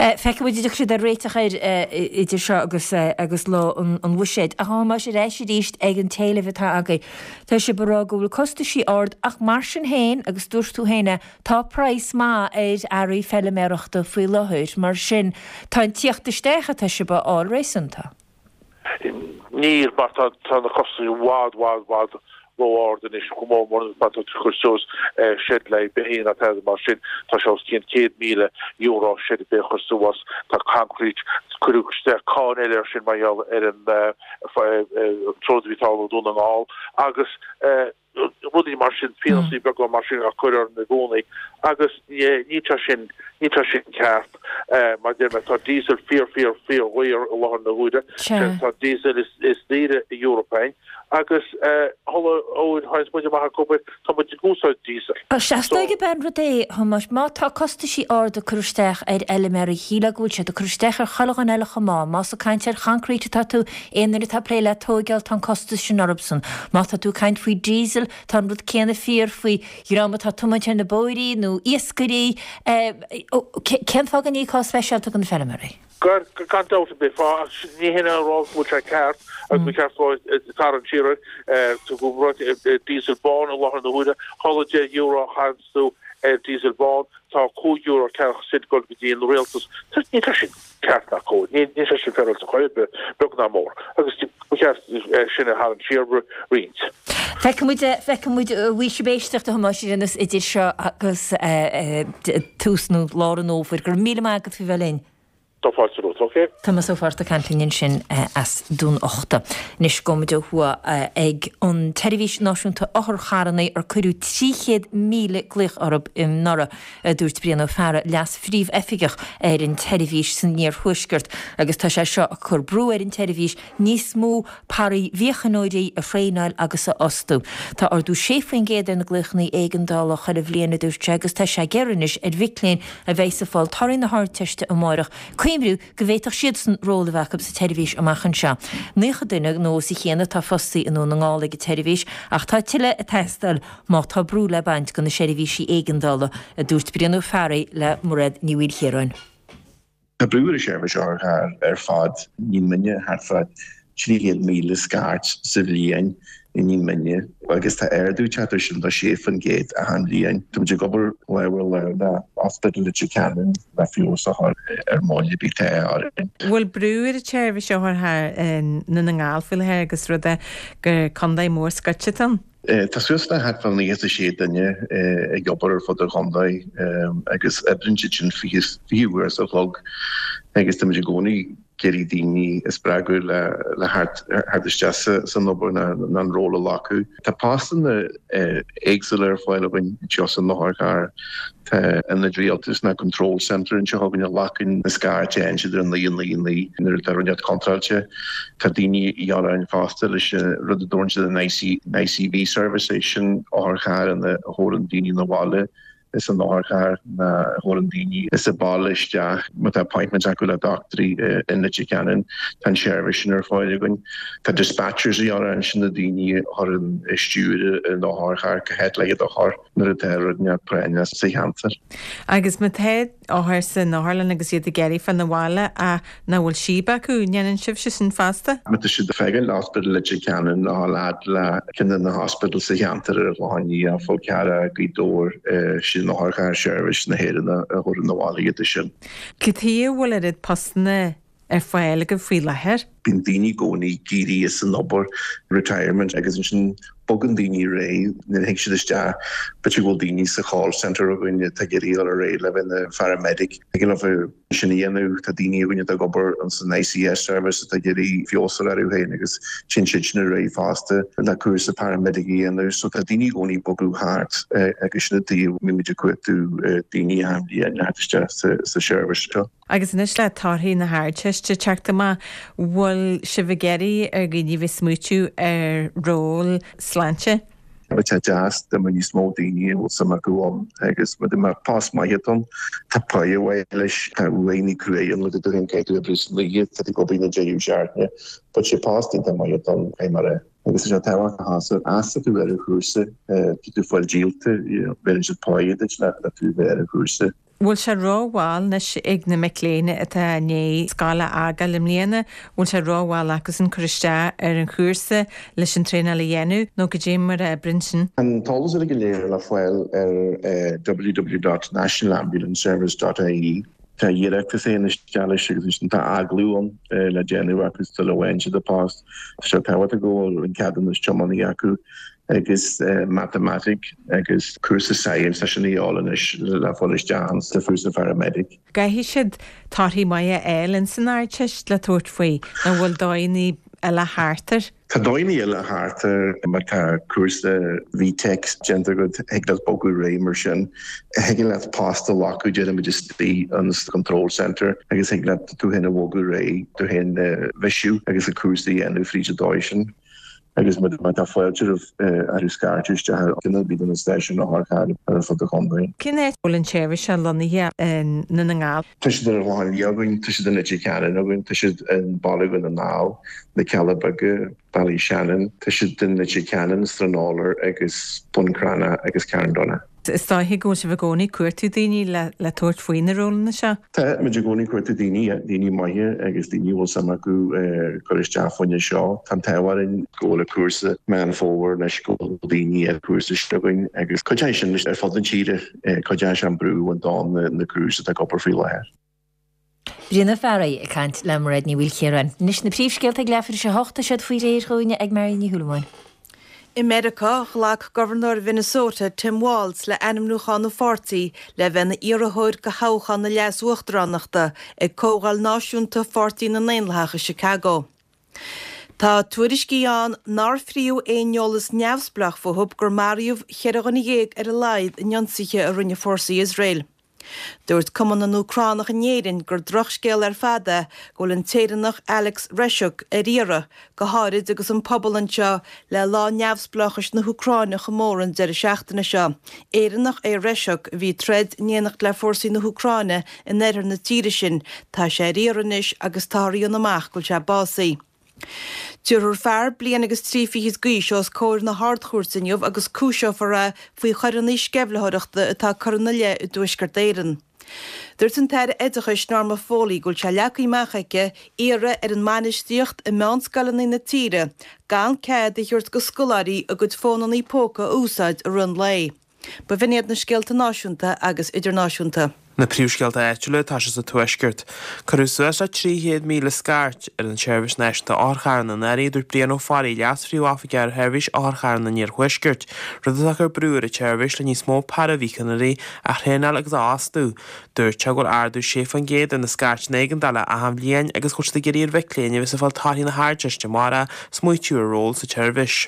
Feicfidh muid an dtiocfaidh siad ar réiteach air idir seo agus agus lá an bhuiséid. Ach a Thomáis, ar ais arís ag an t-éileamh atá agaibh. Tá sibh ag rá go bhfuil costaisí ard ach mar sin féin, agus dúirt tú féin é, tá praghas maith ar earraí feiliméarachta faoi láthair. Mar sin, tá an tíocht isteach atá sibh a fháil réasúnta. Níl, mar tá na costais i bhfad, bhfad, bhfad ró-ard anois, go mór mór má tá tú ag cur suas seid le beithígh ná tada mar sin, tá sé os cionn céad míle euro seid ar bith a chur suas, tá concrete, cuireadh isteach cáin eile air sin mar gheall ar an troid a bhí ag tarlú i Dún na nGall agus rudaí mar sin, pionósaí beaga mar sin á cur orainn i gcónaí agus ní tá sin ní tá sin ceart. Mar deir mé tá diesel fíor fíor fíor dhaor i láthair na huaire, tá diesel is is daoire i Eoraip againn agus chuile uair a théanns muid amach ag obair tá muid ag úsáid diesel. Sea, is dóigh gurb é an rud é, a Thomáis, má tá costaisí arda ag cur isteach ar fheilméaraí, shílfeá go bhfuil siad ag cur isteach ar chuile dhuine eile chomh maith. Más ag caint ar choincréit atá tú, aon duine atá ag plé le tóigeáil, tá an costas sin orthusan. Má tá tú ag caint faoi diesel, tá an rud céanna fíor faoi dhream atá ag tiomáint ar na bóithrí nó iascairí. Cén fáth go n-íocfá speisialta do na feilméaraí? Gan dabht ar bith, ní hin a rá go bhfuil sé ceart agus ba cheart dóibh tarraingt siar air. Tugadh diesel bán i láthair na huaire, chuile deich euro a chaitheanns tú ar diesel bán, tá cúig euro ceathracha cent ag dul go dtí an rialtas. Níl sé sin ceart ná cóir. Níl sé sin féaráilte chor ar bith, beag ná mór. Agus ba cheart sin a tharraingt siar roinnt. Feicfidh muid, feicfidh muid, bhí sibh éisteacht a Thomáis ar aon nós idir seo agus tús nó lár an fhómhair. Go raibh míle maith agat faoi bheith linn. Tá fáilte romhat, ok. Tomás Ó Fátharta ag caint linn ansin as Dún Uchta. Anois gabhfaidh muid ó thuaidh ag an tSeirbhís Náisiúnta Otharcharranna ar cuireadh trí chéad míle glaoch orthu anuraidh, a dúirt Brian Ó Fearraigh, Leas-Phríomhoifigeach ar an tseirbhís san iarthuaisceart, agus tá sé seo ag cur brú ar an tseirbhís níos mó paraimhíochaineoirí a thraenáil agus a fhostú. Tá ardú sé faoin gcéad ar na glaochanna éigeandála chuile bhliain, a dúirt sé, agus tá sé ag iarraidh anois ar mhic léinn a bheidh ag fáil torthaí na hArdteiste amárach cuimhniú go bhféadfadh siadsan ról a bheith acu sa tseirbhís amach anseo. Naocha duine nó os a chionn atá fostaí i nDún na nGall ag an tseirbhís ach tá tuilleadh ag teastáil má tá brú le baint de na seirbhísí éigeandála, a dúirt Brian Ó Fearraigh le Mairéad Ní Mhaoilchiaráin. Tá brú ar an seirbhís otharcharr ar fad i nDún Mine, thart fá trí chéad míle scairt sa bhliain i nDún Mine agus tá ardú ag teacht air sin de sé faoin gcéad achan bhliain. Tá muid ag obair lámh ar lámh le Ospidéal Leitir Ceanainn le feabhas a chur ar an moill atá orainn. Bhfuil brú ar an tseirbhís otharcharr i nDún na nGall faoi láthair agus rud é gur contae mór scoite atá ann? Tá suas le thart fá naocha is a sé duine ag obair ar fud an chontae agus oibríonn siad sin fiche uair sa chlog agus táimid i gcónaí ag iarraidh daoine a spreagadh le theacht isteach san obair nó an ról a ghlacadh. Tá postanna éagsúla ar fáil againn anseo san otharcharr. Tá ionad rialtais nó control centre anseo againn a ghlacann na scairteanna a théann siad ar naoi naoi naoi nuair atá rud inteacht contráilte. Tá daoine a dhíobháil orainn fosta leis an rud a dtabharann siad an ICV service, é sin otharcharr ina thabharann daoine 'na bhaile is an otharcharr ina thabharann daoine as an baile isteach má tá appointments acu le dochtúirí i Leitir Ceanainn. Tá an seirbhís sin ar fáil againn. Tá dispatchers a dhíobháil orainn, sin na daoine a chuireann stiúir an otharchairr cá háit le iad a chur nuair atá rud inteacht práinneach sa cheantar. Agus má tá othair san otharlann agus iad ag iarraidh fáil 'na bhaile ach nach bhfuil síob acu, an ndéanann sibhse sin fosta? Má tá siad ag fágáil Ospidéal Leitir Ceanainn a dhul fhad le ceann de na hospidéil sa cheantar ar an Chlochán Liath, Fál Carrach, Gaoth Dobhair, sin Otharcharr Seirbhís na hÉireann a thabharann 'na bhaile iad sin. Cad chuige a bhfuil oiread postanna ar fáil agaibh faoi láthair? Bíonn daoine i gcónaí ag éirí as an obair, retirement, agus ansin bogann daoine ar aghaidh nuair a thig siad isteach. B'fhéidir go bhfuil daoine sa chall centre againn atá ag iarraidh dul ar aghaidh le bheith ina pharamedic. Thig leo sin a dhéanamh. Tá daoine againn atá ag obair san ICS service atá ag iarraidh feabhas a chur orthu féin agus téann siad sin ar aghaidh fosta le cúrsa paramedic a dhéanamh. So tá daoine i gcónaí ag bogadh thart agus sin an tuige a mbímid ag cuartú daoine achan bhliain le theacht isteach sa seirbhís seo. Agus anois le torthaí na hArdteiste ag teacht amach, bhfuil sibh ag iarraidh ar dhaoine bheith smaoitiú ar ról sláinte? Bheadh sé deas dá mbeadh níos mó daoine a bhfuil suim acu ann agus dá mbeadh post maith atá ann, tá pá mhaith leis, tá uaireanta cruaidh ann, tú féin caithfidh tú oibriú san oíche, tá tú ag obair na deireadh seachtaine, but sé post iontach maith atá ann, caithfidh mé a rá. Agus tá sé tábhachtach a sheasamh ar an chúrsa, tá tú fáil díolta, bheireann siad pá duit le tú bheith ar an chúrsa. Bhfuil sé rómhall anois ag na mic léinn atá i ndiaidh scoil a fhágáil i mbliana, bhfuil sé rómhall acusan cur isteach ar an chúrsa leis an traenáil a dhéanamh nó goidé mar a oibríonn sin? Tá an t-eolas uilig go léir le fáil ar www dot nationalambulanceservice dot ie. Tá iarratas a théann isteach leis agus ansin tá agallamh ann le déanamh acu sula bhfaigheann siad an post. Tá sé tábhachtach go bhfuil an ceadúnas tiománaí acu. agus matamaitic agus cúrsa science, tá sin a dhíobháil anois le fáil isteach sa chúrsa paramedic. Caithfidh siad torthaí maithe a fháil ins an Ardteist le tabhairt faoi, nó bhfuil dóigheanna eile thart air? Tá dóigheanna eile thart ar má tá cúrsa V-Tech déanta agat, thig leat bogadh ar aghaidh mar sin. Thig leat post a ghlacadh déarfaimid istigh an control centre agus thig leat tú féin a bhogadh ar aghaidh, tú féin a bhisiú agus an cúrsa a dhéanamh fríd an dóigh sin. Agus má tá fáilte roimh athrú scairteadh isteach ar duine ar bith de na stáisiúin otharchairr ar fud an chontae. Cén áit a bhfuil an tseirbhís seo lonnaithe i nDún na nGall? Tá siad ar an Chlochán Liath againn, tá siad i Leitir Ceanainn againn, tá siad i mBaile Dhún na nGall, na Cealla Beaga, Ballyshannon, tá siad i Leitir Ceanainn, Stranorlar agus Bun Cranncha agus Carndonagh. Is dóiche go bhfuil sibh i gcónaí ag cuartú daoine le le tabhairt faoi na rólanna seo? Tá muid i gcónaí ag cuartú daoine, daoine maithe agus daoine a bhfuil suim acu cur isteach fá choinne seo. Tá an t-ádh orainn go bhfuil an cúrsa Meán Fómhair anois go bhfuil daoine ar chúrsa sin againn agus cuideoidh sin ar fud na tíre, cuideoidh sé an brú a bhaint de na crews atá ag obair faoi láthair. Brian Ó Fearraigh ag caint le Mairéad Ní Mhaoilchiaráin. Anois na príomhscéalta ag leathuair tar éis a hocht, tá siad faoi réir dhúinne ag Marion Ní Shúilleabháin. I Meiriceá, ghlac Gobharnóir Mhinnesota, Tim Walz, le ainmniúchán an pháirtí le bheith ina iarrthóir do thoghchán na leas-uachtaránachta ag Comhdháil Náisiúnta Pháirtí na nDaonlathach i Chicago. Tá tuairiscí ann nár fríodh aon eolas neamhspleách fúthu gur maraíodh cheithre dhuine dhéag ar a laghad in ionsaithe a rinne fórsaí Iosrael. Dúirt Cumann na nÚcránach in Éirinn gur drochscéal ar fad é go bhfuil an tÉireannach Alex Reschuk ar iarraidh, go háirid agus an pobal anseo le Lá Neamhspleáchais na hÚcráine a chomóradh an deireadh seachtaine seo. Éireannach é Reschuk a bhí ag troid in éineacht le fórsaí na hÚcráine in oirthear na tíre sin. Tá sé ar iarraidh anois agus táthar a dhéanamh amach go bhfuil sé básaithe. Tabharfar fear bliain agus trí fichid d'aois os comhair na hArd-Chúirte inniu agus cúiseofar é faoi choireanna sceimhlitheoireachta atá curtha ina leith i dTuaisceart Éireann. Dúirt an tAire Oideachais Norma Foley go bhfuil sé leagtha amach aici iarraidh ar an mbainistíocht i meánscoileanna na tíre gan cead a thabhairt go scoláirí a gcuid fónanna póca a úsáid i rith an lae. Ba bh'in iad na scéalta náisiúnta agus idirnáisiúnta. Na príomhscéalta áitiúla, tá sé sa Tuaisceart. Cuireadh suas le trí chéad míle scairt ar an tSeirbhís Náisiúnta Otharcharranna anuraidh, a dúirt Brian Ó Fearraigh, Leas-Phríomhoifigeach ar Sheirbhís Otharcharranna an Iarthuaiscirt, rud atá ag cur brú ar an tseirbhís le níos mó paraimhíochaineoirí a thraenáil agus a fhostú. Dúirt sé go bhfuil ardú sé faoin gcéad ar na scairteanna éigeandála achan bhliain agus go bhfuil siad ag iarraidh ar mhic léinn a bheas ag fáil torthaí na hArdteiste amárach smaoitiú ar ról sa tseirbhís.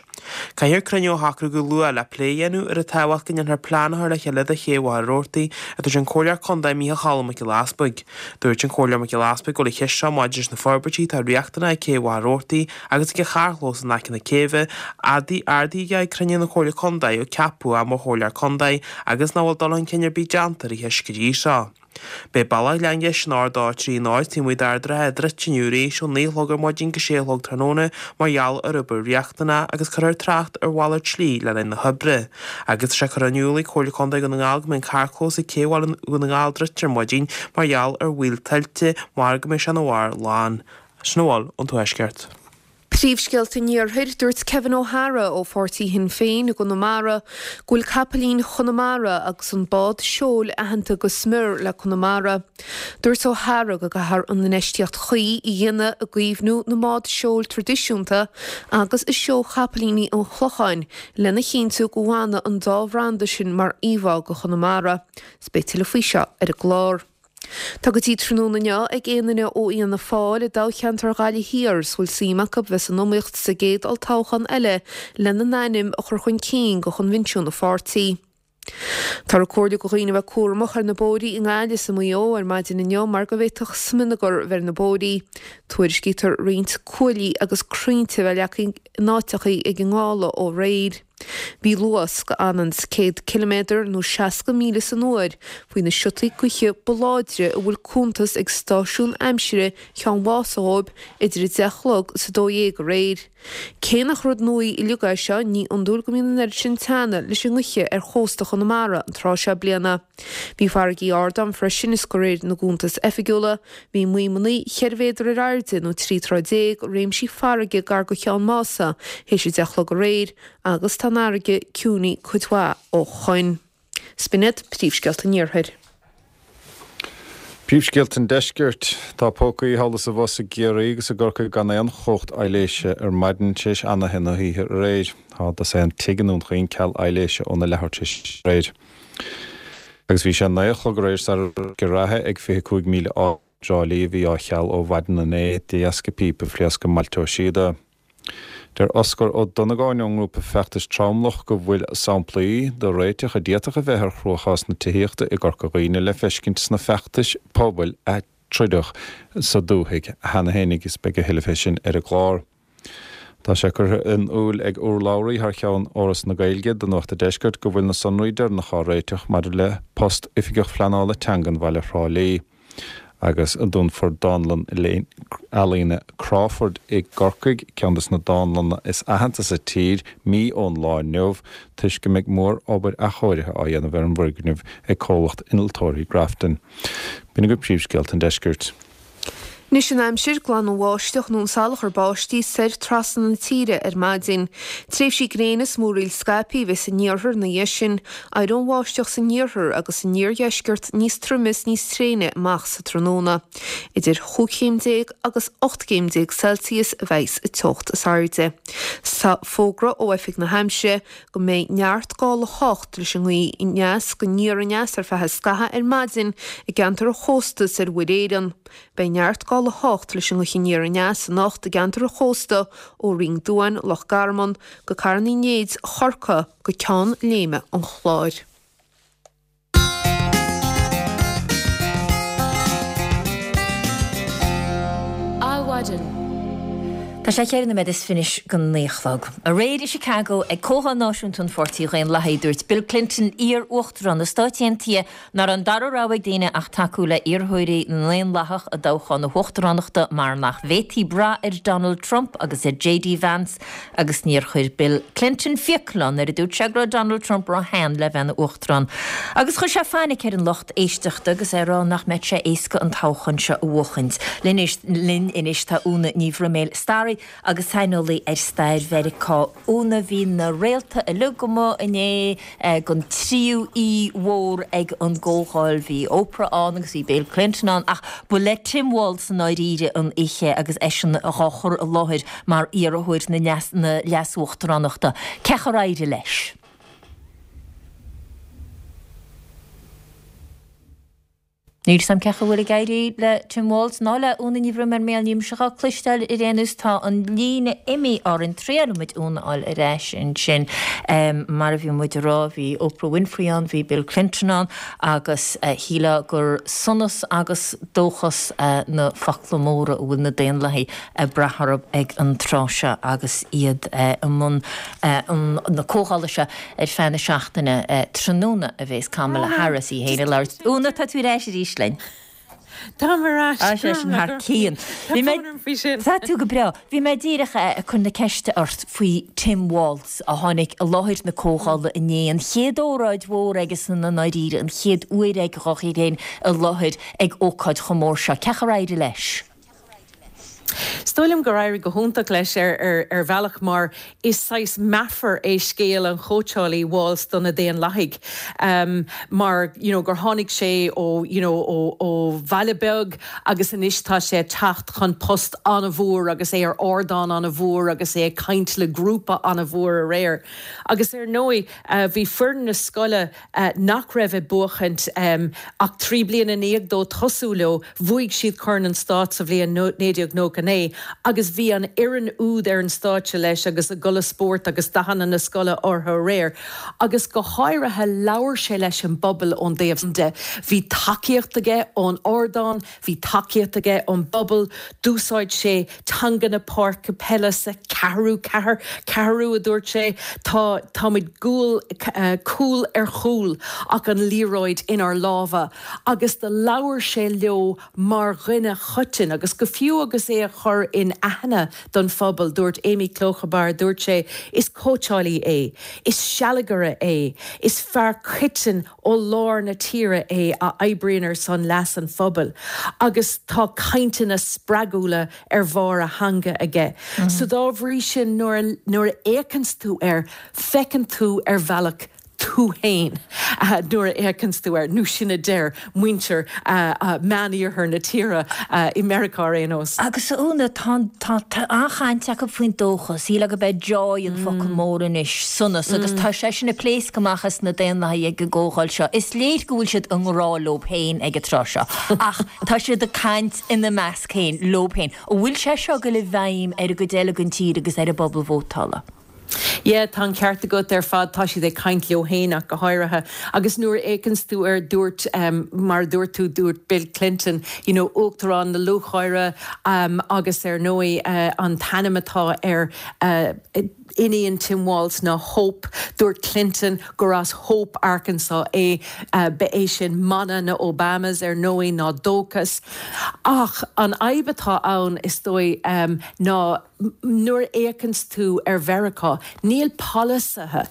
Caithfear cruinniú a shocrú go luath le plé a dhéanamh ar an tábhacht go ndéanfar plean a chur le chéile do Ché Mhachaire Rabhartaigh, a dúirt an Comhairleoir Contae Micheál Cholm Mac Giolla Easpaig. Dúirt an Comhairleoir Mac Giolla Easpaig go bhfuil an cheist seo maidir leis na forbairtí atá riachtanach ag Cé Mhachaire Rabhartaigh agus ag an charrchlós in aice na céibhe, ardaithe aige ag cruinniú na Comhairle Contae ó ceapadh é mar Chomhairleoir Contae agus nach bhfuil dul chun cinn ar bith déanta ar an cheist go dtí seo. Beidh Bealach Ghleann Gheis an R dó trí náid taobh amuigh d'Ard an Rátha druidte inniu arís ó naoi a chlog ar maidin go sé a chlog tráthnóna mar gheall ar obair riachtanach agus cuirfear trácht ar mhalairt slí le linn na hoibre. Agus tá sé curtha in iúl ag Comhairle Contae Dhún na nGall go mbeidh an carrchlós ag Cé Bhaile Dhún na nGall druidte ar maidin mar gheall ar bhaol tuilte mar go mbeidh sé ina bharr lán. Sin a bhfuil ón Tuaisceart. Príomhscéalta an Iarthair, Dúirt Kevin O'Hara ó pháirtí Shinn Féin i gConamara go bhfuil capaillín Chonamara agus an bád seoil aitheanta go smior le Conamara. Dúirt O'Hara go gcaithfear an infheistíocht chuí a dhéanamh i gcaomhnú na mbád seoil traidisiúnta agus i seó chapaillíní an Chlocháin lena chinntiú go bhfanfaidh an dá bhranda sin mar íomhá go Chonamara. 'S beidh tuilleadh faoi seo ar an gclár. Tá go dtí tráthnóna inniu ag aon duine ó Fhianna Fáil i dtoghcheantar Ghaillimh Thiar is bhfuil suim acu bheith san iomaíocht sa gcéad olltoghchán eile lena n-ainm a chur chun cinn go choinbhinsiún an pháirtí. Táthar ag comhairliú go dhaoine a bheith cúramach ar na bóithrí i nGaillimh is i Maigh Eo ar maidin inniu mar go bhféadfadh smionagar bheith ar na bóithrí. Tuairiscítear roinnt cuaillí agus crainnte a bheith leagtha in áiteachaí ag an ngála ó aréir. Bhí luas go anonn céad ciliméadar nó seasca míle san uair faoi na siotaí gaoithe ba láidre a bhfuil cuntas ag stáisiún aimsire Cheann Mhása dhóibh idir a deich a chlog is a dó dhéag aréir. Cé nach rud nua uilig é seo, ní iondúil go mbíonn an oiread sin teanna leis an ngaoth ar chósta Chonamara an tráth seo bliana. Bhí farraigí ard ann freisin is de réir na gcuntas oifigiúla, bhí maidhmeanna cheithre mhéadar ar airde nó trí troigh déag i réimsí farraige gar go Cheann Mása théis a deich a chlog aréir agus tá an fharraige ciúnaithe cuid mhaith ó shoin. 'S b'in iad príomhscéalta an Iarthair. Príomhscéalta an Deiscirt. Tá pócaí thall is abhus i gCiarraí agus i gCorcaigh gan aon chumhacht aibhléise ar maidin tar éis anaithe na hoíche aréir. Tá dosaen tigh i nDún Chaoin ceal aibhléise óna leathuair tar éis aréir. Agus bhí sé naoi a chlog aréir sara raibh uisce reatha ag fiche cúig míle áit i dTrá Lí a bhí á cheal ó mhaidin inné de dheasca píopa a phléasc i mBailte Ó Síoda. Deir Oscar Ó Donnagáin ón ngrúpa feachtais Tromlach go bhfuil samplaí de réiteach a d'fhéadfadh a bheith ar chruachás na tithíochta i gCorca Dhuibhne le feiscint sna feachtais pobail a troideadh sa dúthaigh cheana féin agus beidh a thuilleadh fé sin ar an gclár. Tá sé curtha in iúl ag urlabhraí thar cheann Fhoras na Gaeilge do Nuacht an Deiscirt go bhfuil na sonraí deireanacha á réiteach maidir le post Oifigeach Phleanála Teangan Bhaile Thrá Lí agus dúnfar Dánlann Ealaíne Crawford i gCorcaigh, ceann de na dánlanna is aitheanta sa tír, mí ón lá inniu, toisc go mbeidh mór-obair athchóirithe á dhéanamh ar an bhfoirgneamh ag comhlacht innealtóirí Grafton. B'in agaibh príomhscéalta an deiscirt. Anois an aimsir, glanfaidh an bháisteach nó an salachar báistí soir trasna na tíre ar maidin. Tréimhsí gréine is múraíl scaipthe a bheidh san iarthar ina dhiaidh sin. Éireoidh an bháisteach san iarthar agus san iardheisceart níos troime is níos tréine amach sa tráthnóna. Idir chúig chéim déag agus ocht gcéim déag Celsius a bheidh sa teocht is airde. Tá fógra ó Oifig na hAimsire go mbeidh neart gála a hocht leis an ngaoth aneas go aniar aneas ar feadh scaitheamh ar maidin i gceantar an chósta is ar Mhuir Éireann. Beidh neart gála a hocht leis an ngaoth aniar aneas anocht i gceantar an chósta ó Rinn Duáin, Loch Garman, go Carn Uí Néid, Chorcaí, go Ceann Léime an Chláir. Adhmhaidin. Tá sé ceithre nóiméad is fiche go naoi a chlog. Aréir i Chicago ag Comhdháil Náisiúnta an Pháirtí Dhaonlathaigh, dúirt Bill Clinton, iar-uachtarán na Stáit Aontaithe, nach raibh an dara rogha ag daoine ach tacú le iarrthóirí na nDaonlathach i dtoghchán na huachtaránachta mar nach bhféadfaí brath ar Donald Trump agus ar J D Vance agus níor chuir Bill Clinton fiacail ann nuair a dúirt sé go raibh Donald Trump ró-shean le bheith ina uachtarán. Agus chuir sé fainic ar an lucht éisteachta agus é ag rá nach mbeadh sé éasca an toghchán seo a bhuachaint. Linn anois tá Úna Ní Bhroiméil, staraí agus saineolaí ar stair Mheiriceá. Úna, bhí na réalta uilig amuigh inné don tríú aoi mhór ag an gcomhdháil. Bhí Oprah ann agus bhí Bill Clinton ann ach ba le Tim Walz i ndáiríre an oíche agus eisean á chur i láthair mar iarrthóir na leas-uachtaránachta. Cén chaoi ar éirigh leis? Níl 'fhios a'm cén chaoi a bhfuil ag éirí le Tim Walz ná le Úna Ní Bhroiméil mar níl mise á cloisteáil ar aon nós. Tá an líne imithe orainn. Triailfidh muid Úna a fháil ar ais ansin. Mar a bhí muid a rá, bhí Oprah Winfrey ann, bhí Bill Clinton ann agus shílfeá gur sonas agus dóchas na focla móra a bhfuil na Daonlathaigh ag brath orthu ag an tráth seo agus iad i mbun na comhdhála seo ar feadh na seachtaine. Tráthnóna a bheas Kamala Harris í féin ag labhairt. Úna, tá tú ar ais arís linn. Táim ar ais. Á, sé sin thar cionn. Tá fonn orm faoi sin. Tá tú go breá. Bhí mé díreach ag cur na ceiste ort faoi Tim Walz a tháinig i láthair na comhdhála inné, an chéad óráid mhór aigesan i ndáiríre, an chéad uair aige dhá chur féin i láthair ag ócáid chomh mór seo. Cén chaoi ar éirigh leis? Is dóigh liom gur éirigh go hiontach leis ar ar ar bhealach mar is saghas meafar é scéal an chóitseálaí Walz do na Daonlathaigh um, mar you know, gur tháinig sé ó you know, ó, ó bhaile beag agus anois tá sé ag teacht chun post an-mhór agus é ar ardán an-mhór agus é ag caint le grúpa an-mhór aréir. Agus ar ndóigh uh, bhí foireann na scoile uh, nach raibh ag buachaint um, ach trí bliana i ndiaidh dó tosú leo, bhuaigh siad Corn an Stáit sa bhliain naoi déag nócha naoi agus bhí an fhoireann úd ar an stáitse leis agus a gculaith spóirt agus dathanna na scoile orthu aréir. Agus go háirithe labhair sé leis an bpobal ón dtaobh de. Bhí tacaíocht aige ón ardán, bhí tacaíocht aige ón bpobal, d'úsáid sé teanga na páirce peile sa ceathrú ceathair, ceathrú a dúirt sé, tá táimid gúl cúl ar chúl ach an liathróid inár lámha agus do labhair sé leo mar dhuine coiteann agus go fiú agus é a chur in aithne don phobal, dúirt Amy Klobuchar, dúirt sé, is cóitseálaí é, is sealgaire é, is fear coiteann ó lár na tíre é a oibríonn ar son leas an phobail agus tá cainteanna spreagúla ar bharr a theanga aige. Mm -hmm. So dá bhrí sin nuair nuair a fhéachanns tú air, feiceann tú ar bhealach tú féin nuair a fhéachanns tú air, nó sin a deir muintir Meániarthar na tíre i Meiriceá ar aon nós. Agus a Úna, tá tá an-chaint acu faoin dóchas, shílfeá gurb é joy an focal mór anois, sonas, agus tá sé sin ag pléascadh amach as na Daonlathaigh ag an gcomhdháil seo. Is léir go bhfuil siad i ngrá leo féin ag an tráth seo, ach tá siad ag caint ina measc féin, leo féin. An bhfuil sé seo ag dul i bhfeidhm ar an gcuid eile den tír agus ar an bpobal vótála? Yeah, tá an ceart agat ar fad, tá siad ag caint leo féin ach go háirithe. Agus nuair a fhéachanns tú ar dúirt, um, mar a dúirt tú, dúirt Bill Clinton, you know, uachtarán na lúcháire, um, agus ar ndóigh uh, an t-ainm atá ar uh, iníon Tim Walz ná Hope, dúirt Clinton gur as Hope, Arkansas é, uh, ba é sin mana na Obamas ar ndóigh ná dóchas. Ach an fhadhb atá ann is dóigh um, ná nuair a fhéachanns tú ar Mheiriceá, níl polasaithe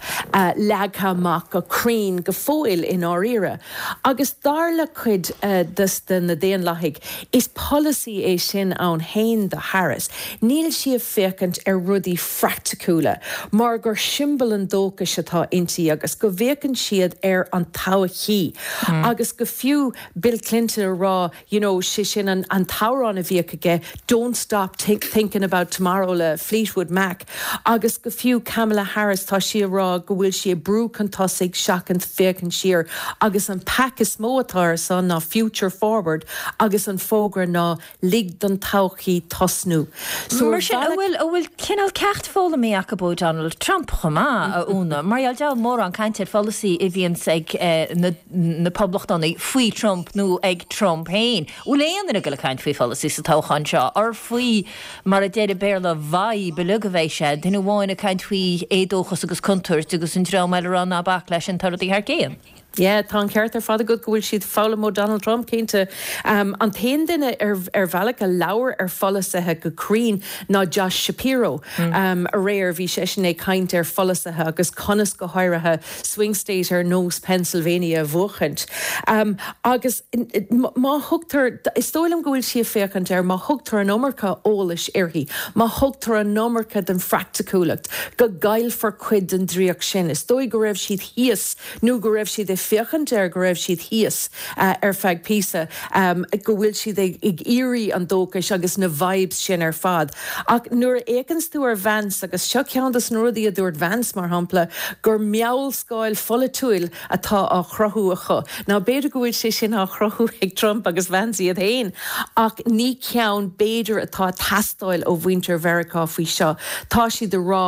leagtha amach go cruinn go fóill i ndáiríre. Agus dar le cuid des de na Daonlathaigh, is polasaí é sin ann féin do Harris. Níl sí ag féachaint ar rudaí phraiticiúla, mar gur siombail an dóchais atá inti agus go bhféachann siad ar an todhchaí. Agus go fiú Bill Clinton a rá, you know, sé sin an an t-amhrán a bhíodh aige, "Don't stop think, thinking about tomorrow" le Fleetwood Mac. Agus go fiú Kamala Harris tá sí ag rá go bhfuil sí ag brú chun tosaigh seachas féachaint siar agus an PAC is mó atá ar son ná Future Forward agus an fógra ná lig don todhchaí tosnú. So mar sin an bhfuil an bhfuil cineál ceacht foghlamtha acu ó Donald Trump chomh maith a Úna, mar gheall mórán caint ar pholasaí a bhíonns ag eh, na, na poblachtánaigh faoi Trump nó ag Trump féin. Bhfuil aon duine ag dul ag caint faoi pholasaí sa toghchán seo ar faoi mar a deir Béarla vibe uilig a bheidh sé, duine amháin ag caint faoi éadóchas agus contúirt agus an dream eile ag rá ná bac leis sin tá rudaí thar cionn. Yeah, tá an ceart ar fad agat go bhfuil siad foghlaim ó Donald Trump cinnte. Um, an t-aon duine ar, ar bhealach a labhair ar pholasaithe go cruinn ná Josh Shapiro. Mm. Um, aréir bhí seisean ag caint ar pholasaithe agus conas go háirithe swing state ar nós Pennsylvania a bhuachaint. Um, agus má thugtar is dóigh liom go bhfuil sí ag féachaint ar má thugtar an iomarca eolais uirthi, má thugtar an iomarca den phraiticiúlacht, go gcaillfear cuid den draíocht sin. Is dóigh go raibh siad thíos nó go raibh siad ag féachaint ar go raibh siad thíos uh, ar feadh píosa um, go bhfuil siad ag, ag iarraidh an dóchas agus na vibes sin ar fad. Ach nuair a fhéachanns tú ar Vance agus seo ceann des na rudaí a dúirt Vance mar shampla gur meabhalscáil pholaitiúil atá á chruthú acu. Ná b'fhéidir go bhfuil sé sin á chruthú ag Trump agus Vance iad féin ach ní ceann b'fhéidir atá ag teastáil ó mhuintir Mheiriceá faoi seo. Tá siad ag rá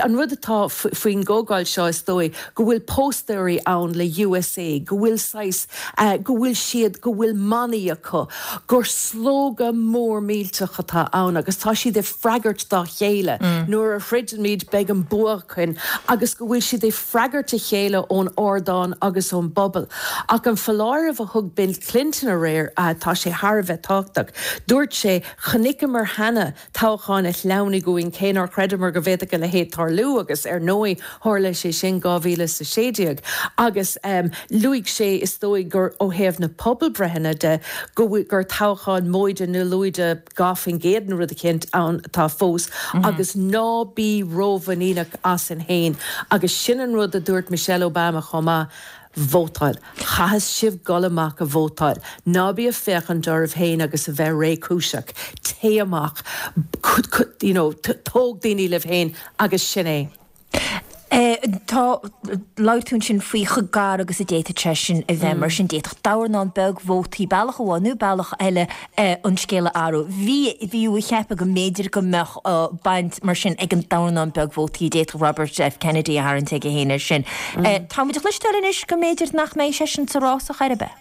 an rud atá faoin gcomhdháil seo is dóigh go bhfuil póstaerí ann le USA, go bhfuil sais uh, go bhfuil siad go bhfuil manaí acu, gur slógadh mór millteach atá ann agus tá siad ag freagairt dá chéile. Mm. Nuair a throidimid beidh an bua againn agus go bhfuil siad ag freagairt a chéile ón ardán agus ón bpobal. Ach an foláireamh a thug Bill Clinton aréir uh, tá sé thar a bheith tábhachtach. Dúirt sé chonaiceamar cheana toghchán a shleamhnaigh uainn cé nár chreideamar go bhféadfadh a leithéid tarlú agus ar ndóigh tharla sé sin dhá mhíle is a sé déag. Agus um, luaigh sé is dóigh gur ó thaobh na pobalbhreitheanna de go gur toghchán móide nó lúide dhá faoin gcéad nó rud éicint ann atá fós mm -hmm. agus ná bí rómhuiníneach asainn féin agus sin an rud a dúirt Michelle Obama chomh maith vótáil. Caithfidh sibh dul amach a vótáil. Ná bí ag féachaint oraibh féin agus a bheith réchúiseach. Téigh amach you know, tóg daoine libh féin agus sin é. Tá labhair tú ansin faoi chomh gar agus a d'fhéadfadh sé sin a bheith mar sin d'fhéadfadh dornán beag vótaí bealach amháin nó bealach eile an scéal a athrú. Bhí bhí ag ceapadh go mb'fhéidir go mbeadh baint mar sin ag an dornán beag vótaí a d'fhéadfadh Robert F Kennedy a tharraingt aige féin ar sin. Táimid ag cloisteáil anois go mb'fhéidir nach mbeidh seisean sa rás ar chor ar bith.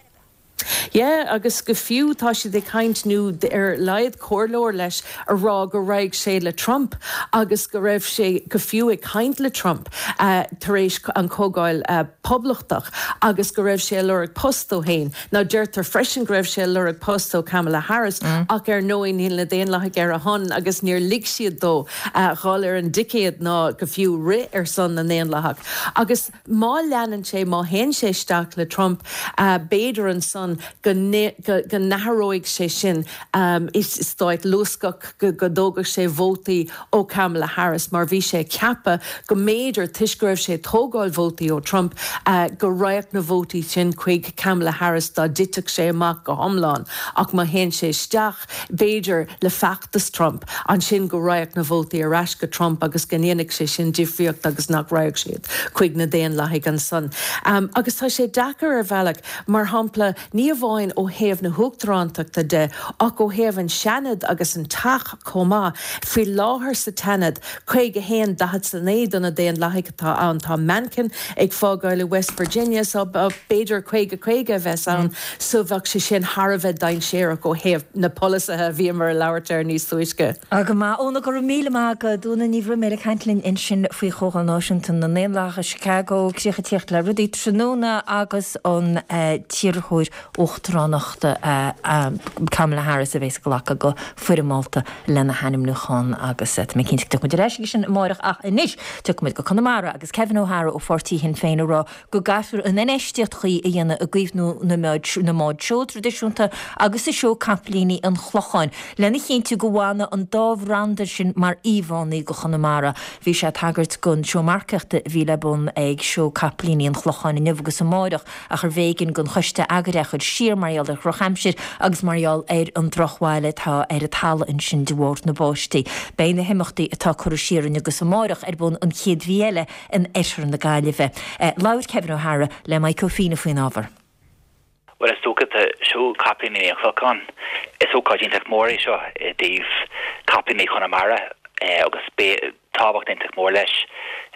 Yeah, agus go fiú tá siad ag caint nó ar laghad comhairleoir leis a rá go raibh sé le Trump agus go raibh sé go fiú ag caint le Trump uh, tar éis an chomhdháil uh, poblachtach agus go raibh sé ag lorg post dó féin. Ná deirtear freisin go raibh sé ag lorg post ó Kamala Harris mm. ach ar ndóigh níl na Daonlathaigh ar a shon agus níor lig siad dó uh, dhul ar an dticéad ná go fiú rith ar son na nDaonlathach. Agus má leanann sé má théann sé isteach le Trump uh, b'fhéidir ansan ansan go n-athróidh sé sin i stáit luascach, go dtógfadh sé vótaí ó Kamala Harris mar bhí sé ag ceapadh go mb'fhéidir, toisc go raibh sé ag tógáil vótaí ó Trump, go raghadh na vótaí sin chuig Kamala Harris dá dtitfeadh sé amach go hiomlán ach má théann sé isteach, b'fhéidir, le feachtas Trump, ansin go raghadh na vótaí ar ais go Trump agus go ndéanfadh sé sin difríocht agus nach raghadh siad chuig na Daonlathaigh ansan. Agus tá sé deacair ar bhealach, mar shampla, ní amháin ó thaobh na huachtarántachta de ach ó thaobh an Seanad agus an Teach chomh maith. Faoi láthair sa tSeanad, caoga a haon, daichead 's a naoi do na Daonlathaigh atá ann. Tá Manchin ag fágáil i West Virginia so b'fhéidir caoga caoga a bheas ann so bheadh sé sin thar a bheith dainséarach ó thaobh na polasaithe a bhíomar ag labhairt air níos túisce. Go maith. Úna, go raibh míle maith agat. Úna Ní Bhroiméil ag caint linn ansin faoi Chomhdháil Náisiúnta na nDaonlathach i Chicago. Críoch ag tíocht le rudaí tráthnóna agus an t-iarrthóir uachtaránachta Kamala Harris a bheas ag glacadh go foirmeálta lena hainmniúchán agus tá mé cinnte go dtiocfaidh muid ar ais aige sin amárach ach anois tiocfaidh muid go Conamara agus Kevin O'Hara ó pháirtí Shinn Féin ag rá go gcaithfear an infheistíocht chuí a dhéanamh i gcaomhnú na mbád seoil traidisiúnta agus i seó capaillíní an Chlocháin lena chinntiú go bhfanfaidh an dá bhranda sin mar íomhánna go Chonamara. Bhí sé ag tagairt don seó marcaíochta a bhí le bun ag seó capaillíní an Chlocháin inniu agus amáireach ach arbh éigean don choiste eagraithe é a chur siar mar gheall ar dhrochaimsir agus mar gheall ar an drochbhail atá ar an talamh ansin de bharr na báistí. Beidh na himeachtaí atá curtha siar inniu agus amáireach ar bun an chéad mhí eile in oirthear na Gaillimhe. Labhair Kevin O'Hara le Mike Ó Fianna faoin ábhar. Bhuel, is dócha, tá seó Capaillíní an Chlocháin. Is ócáid iontach mór é seo i dtaobh capaillíní Chonamara agus beidh tábhacht iontach mór leis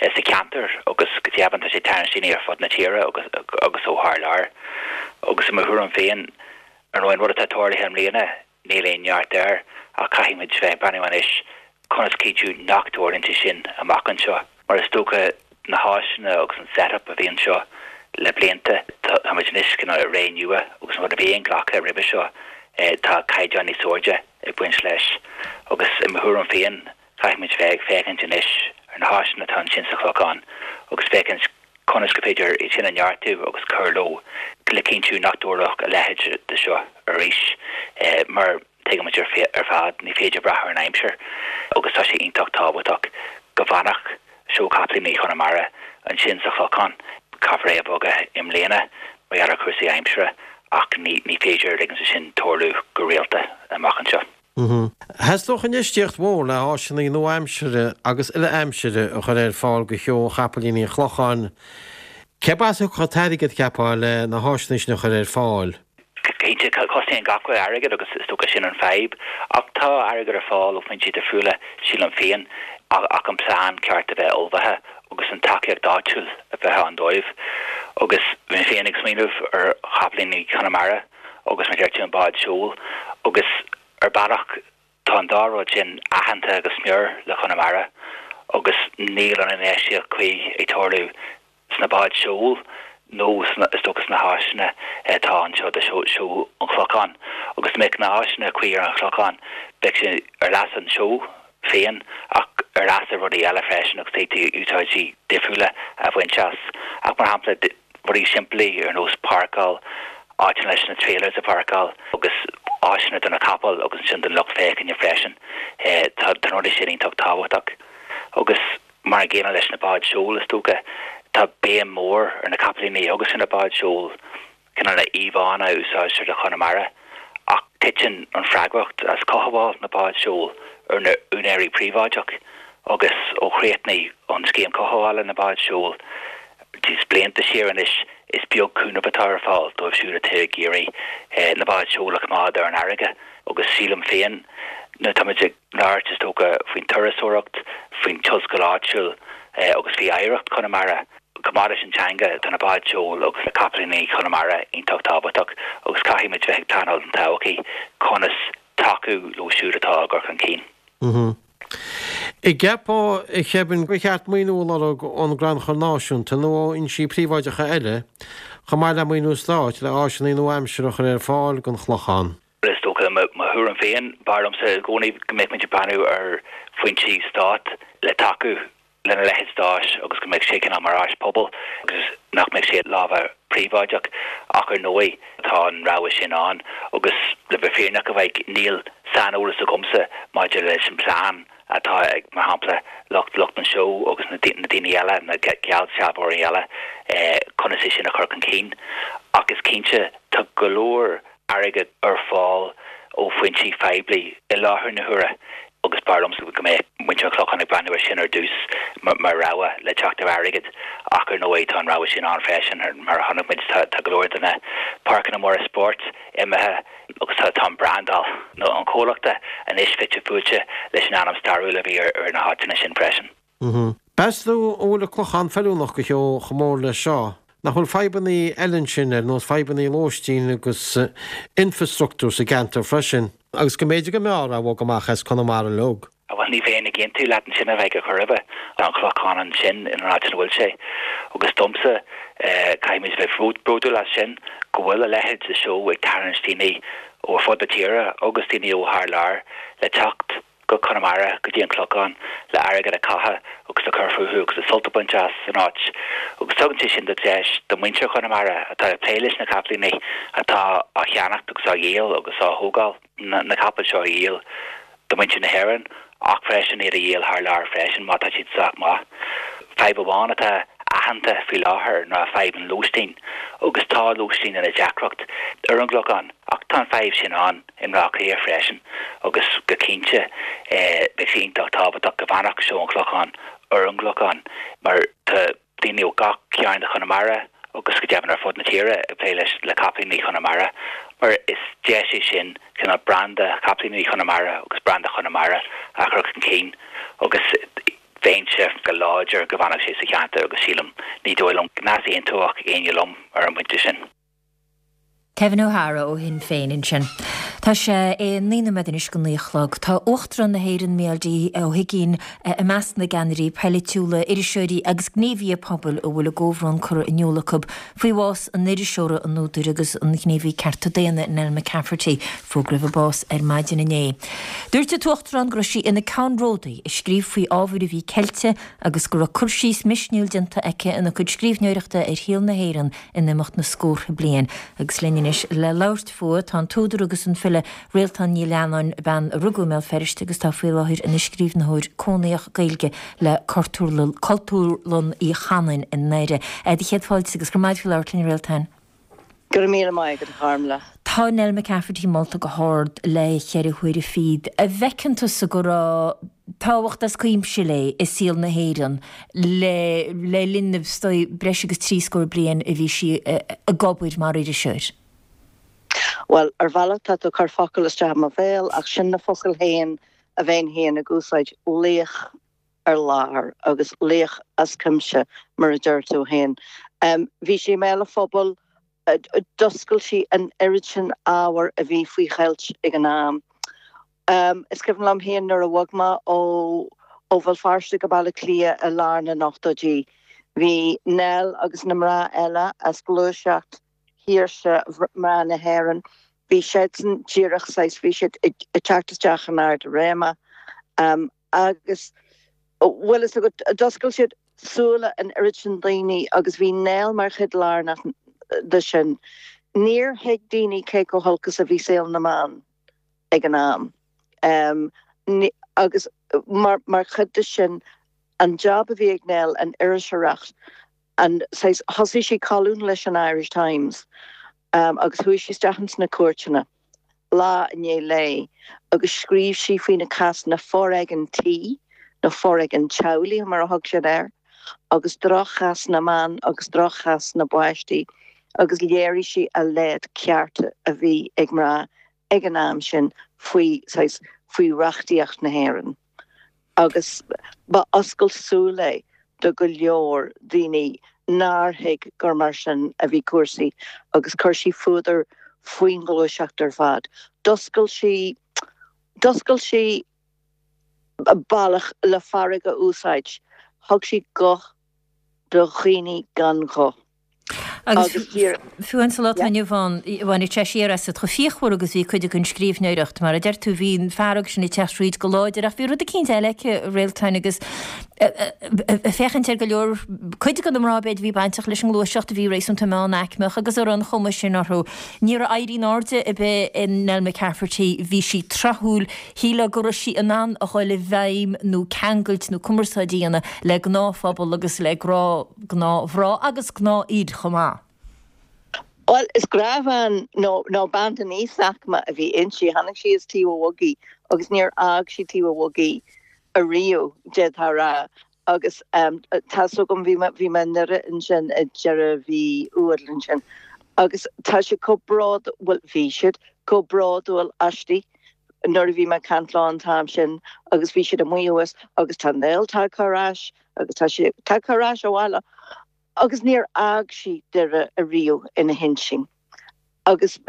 sa cheantar agus go deimhin tá sé ag tarraingt daoine ar fud na tíre agus agus ó thar lear. Agus i mo thuairim féin, ar ndóigh, an rud atá tarlaithe i mbliana, níl aon neart air ach caithfidh muid bheith ag breathnú anois conas cinntiú nach dtarlaíonn sé sin amach anseo mar is dócha na háiseanna agus an set-up a bhí anseo le blianta, táimid anois cineál i ré nua agus an rud a bhí inghlactha roimhe seo, tá caighdeán níos airde ag baint leis agus i mo thuairim féin caithfimid bheith ag féachaint anois ar na háiseanna atá ansin sa Chlochán agus féachaint conas gur féidir iad sin a neartú agus cur leo le cinntiú nach dtarlódh a leithéid de seo arís mar tuigimid ar fad ní féidir brath ar an aimsir agus tá sé iontach tábhachtach go bhfanfadh Seó Capaillíní Chonamara ansin sa Chlochán. Caithfear é a bhogadh i mbliana mar gheall ar chúrsaí aimsire ach ní féidir ligint dó sin tarlú go rialta amach anseo. Theastódh infheistíocht mhór le háiseanna nua-aimseartha agus uile-aimsire a chur ar fáil do Sheó Chapaillíní an Chlocháin. Cérb as a thiocfadh an t-airgead, cheapfá, le na háiseanna sin a chur ar fáil? Cinnte, cosnaíonn gach rud airgead agus is dócha sin an fadhb. Ach tá airgead ar fáil ó foinsí difriúla, sílim féin, ach an plean ceart a bheith ullmhaithe agus an tacaíocht áitiúil a bheith ann dóibh. Agus bhí mé féin ag smaoineamh ar Chapaillíní Chonamara agus mar a deir tú an bád seoil agus ar bealach tá an dá rud sin aitheanta go smior le Conamara agus níl an infheistíocht cuí ag tarlú sna báid seoil nó is dócha sna háiseanna atá anseo do seó an Chlocháin. Agus dá mbeadh na háiseanna cuí ar an Chlochán bheadh sé ar leas an seó féin ach ar leas ar rudaí eile freisin agus d'fhéadfaí úsáidí difriúla a bhaint as. Ach mar shampla rudaí simplí ar nós páirceáil, áiteanna leis na trailers a pháirceáil agus áiseanna do na capaill agus ansin don lucht féachana freisin. Tá na rudaí sin iontach tábhachtach. Agus mar an gcéanna leis na báid seoil is dócha, tá béim mhór ar na capaillíní agus ar na báid seoil, cineál na íomhánna a úsáidtear do Chonamara, ach titeann an freagracht as cothabháil na bád seoil ar na úinéirí príobháideach agus ó chríochnaigh an scéim cothabhála na bád seoil blianta siar anois, is beag cúnamh atá ar fáil dóibh siúd atá ag iarraidh na báid seoil a choimeád ar an fharraige agus sílim féin nuair atáimid ag labhairt is dócha faoin turasóireacht, faoin tionscal áitiúil agus faoi oidhreacht Chonamara, chomh maith leis an teanga, tá na báid seoil agus na capaillíní Chonamara iontach tábhachtach agus caithfimid bheith ag pleanáil don todhchaí conas tacú leo siúd atá á gcur chun cinn. An gceapfá, a Kevin, gur cheart maoiniú a lorg ón gCrannchur Náisiúnta nó ó fhoinsí príobháideacha eile, chomh maith le maoiniú stáit, le áiseanna nua-aimseartha a chur ar fáil don Chlochán? Is dócha, mo thuairim féin, b'fhearr liomsa i gcónaí go mbeadh muid ag breathnú ar foinsí stáit le tacú lena leithéid d'áis agus go mbeadh sé cineál mar áis pobail agus nach mbeadh sé i lámha príobháideach ach ar ndóigh tá an rogha sin ann agus le bheith fírinneach a Mhaidhc níl saineolas agamsa maidir leis an plean atá ag mar shampla lucht lucht an seó agus na daoine eile na geallsealbhóirí eile conas é sin a chur chun cinn ach is cinnte tá go leor airgead ar fáil ó foinsí poiblí i láthair na huaire agus b'fhearr liomsa go mbeadh muintir an Chlocháin ag breathnú air sin ar dtús mar rogha le teacht ar airgead ach ar ndóigh tá an rogha sin ann freisin mar a chonaic muid tá go leor de na páirceanna móra spóirt imithe agus tá tá an brandáil nó an chomhlachta anois fite fuaite leis an ainm stairiúil a bhí ar na háiteanna sin freisin. Meas tú an bhfuil an Clochán feiliúnach do sheó chomh mór leis seo? Nach bhfuil fadhbanna eile ansin ar nós fadhbanna lóistín agus infrastruchtúr sa gceantar freisin, agus go mb'fhéidir go mb'fhearr é a bhogadh amach as Conamara uilig? Bhuel, ní bheinn ag aontú leat ansin a Mhaidhc ar chor ar bith. Tá an Clochán ansin in an áit ina bhfuil sé. Agus domsa, caithfimid a bheith bródúil as sin, go bhfuil a leithéid de seó ag tarraingt daoine ó fud na tíre agus daoine ó thar lear le teacht go Conamara, go dtí an Clochán, le airgead a chaitheamh agus le cur fúthu agus le sult a bhaint as an áit. Agus tugann sé sin de deis do mhuintir Chonamara atá ag plé leis na capaillíní atá á cheannacht agus á dhíol agus á thógáil, na capaill seo a dhíol do mhuintir na hÉireann ach freisin iad a dhíol thar lear freisin má tá siad sách maith. Fadhb amháin atá aitheanta faoi láthair ná fadhb an lóistín agus tá lóistín ina deacracht ar an gClochán ach tá an fadhb sin ann i mBleá Cliath freisin agus go cinnte beidh sé iontach tábhachtach go bhfanfadh Seó an Chlocháin ar an gClochán mar tá daoine ó gach cearn de Chonamara agus go deimhin ar fud na tíre ag plé leis le capaillíní Chonamara mar is deis é sin cineál branda chapaillíní Chonamara agus branda Chonamara a chur chun cinn agus bheinnse go láidir go bhfanfadh sé sa cheantar agus sílim, ní dóigh liom go n-easaontódh éinne liom ar an bpointe sin. Kevin O'Hara ó Shinn Féin ansin. Tá sé é naoi nóiméad anois go naoi a chlog. Tá Uachtarán na hÉireann Micheál D Ó hUigínn i measc na gceannairí polaitiúla, iriseoirí agus gníomhaithe pobail a bhfuil a gcomhbhrón curtha in iúl acu faoi bhás an iriseora, an údair agus an ghníomhaí cearta daonna Nell McCafferty. Fógraíodh a bás ar maidin inné. Dúirt an tUachtarán go raibh sí ina ceannródaí ag scríobh faoi ábhair a bhí ceilte agus go raibh cur síos misniúil déanta aici ina cuid scríbhneoireachta ar shaol na hÉireann in imeacht na scórtha bliain. Agus linn anois le labhairt fúithi tá an t-údar agus an file Réaltán Ní Leannáin, bean a rugadh i mBéal Feirste agus atá faoi láthair ina scríbhneoir cónaitheach Gaeilge le Cultúrlann Uí Chanáin i nDoire. Do chéad fáilte agus go raibh maith agat faoi labhairt linn, a Réaltáin. Go raibh míle maith agat, a Chármla. Tá Nell McCafferty molta go hard le cheithre huaire fichead. An bhfeiceann tusa go raibh tábhacht as cuimse léi i saol na hÉireann le le linn na breis agus trí scór bliain a bhí sí ag obair mar iriseoir? Bhuel, ar bhealach tá tú ag cur focal isteach i mo bhéal ach sin na focail féin a bheinn féin ag úsáid, laoch ar láthair agus laoch as cuimse, mar a deir tú féin. Bhí sí i mbéal an phobail, d'oscail sí an oiread sin ábhar a bhí faoi cheilt ag an am. Is cuimhin liom féin nuair a bhog mé ó ó Bhéal Feirste go Baile Átha Cliath i lár na n-ochtóidí, bhí Nell agus na mná eile as gluaiseacht shaoirse mná na hÉireann, bhí siadsan díreach saghas, bhí siad ag teacht isteach in ard a réime agus bhfuil fhios agat, d'oscail siad súile an oiread sin daoine agus bhí Nell mar chuid lárnach de sin. Níor thuig daoine cé chomh holc is a bhí saol na mban ag an am. Agus mar mar chuid de sin, an job a bhí ag Nell, an iriseoireacht, an saghas, thosaigh sí colún leis an Irish Times agus chuaigh sí isteach ins na cúirteanna lá i ndiaidh lae agus scríobh sí faoi na cásanna foréigean tí nó foréigean teaghlaigh mar a thug siad air agus droch-chás na mban agus droch-chás na bpáistí agus léirigh sí a laghad cearta a bhí ag mná ag an am sin faoi, saghas, faoi reachtaíocht na hÉireann. Agus ba oscailt súl é do go leor daoine nár thuig gur mar sin a bhí cúrsaí agus chuir sí fuadar faoin ghluaiseacht ar fad. D'oscail sí, d'oscail sí bealach le fearg a úsáid. Thug sí guth do dhaoine gan ghuth. Agus fiú an sa lá atá inniu ann, bhainfeadh sé siar asat chomh fíochmhar agus bhí cuid den scríbhneoireacht. Mar a deir tú, bhí an fearg sin ag teacht thríd go láidir ach bhí rud eicínt eile aici, a Réaltáin, agus ag féachaint ar go leor, cuid de na mná b'fhéidir a bhí bainteach leis an ngluaiseacht a bhí réasúnta meánaicmeach agus a raibh an chuma sin orthu. Ní raibh éirí in airde ar bith i Nell McCafferty, bhí sí tráthúil, shílfeá go raibh sí in ann a dhul i bhfeidhm nó ceangailt nó cumarsáid a dhéanamh le gnáthphobal agus le gnáthmhná agus gnáthfhir chomh maith. Bhuel, is gnáthbhean nó nó bean den íosaicme a bhí inti. Tháinig sí as Taobh an Bhogaigh agus níor fhág sí Taobh an Bhogaigh ariamh, d'fhéadfá a rá. Agus tá's agam, bhí mé bhí mé i nDoire ansin i deireadh mhí Iúil ansin agus tá siad chomh bród, bhuel bhí siad chomh bródúil aisti nuair a bhí mé ag caint leo an t-am sin agus bhí siad amuigh thuas agus tá Nell tagtha ar ais agus tá sí tagtha ar ais abhaile agus níor fhág sí Doire ariamh ina hintinn agus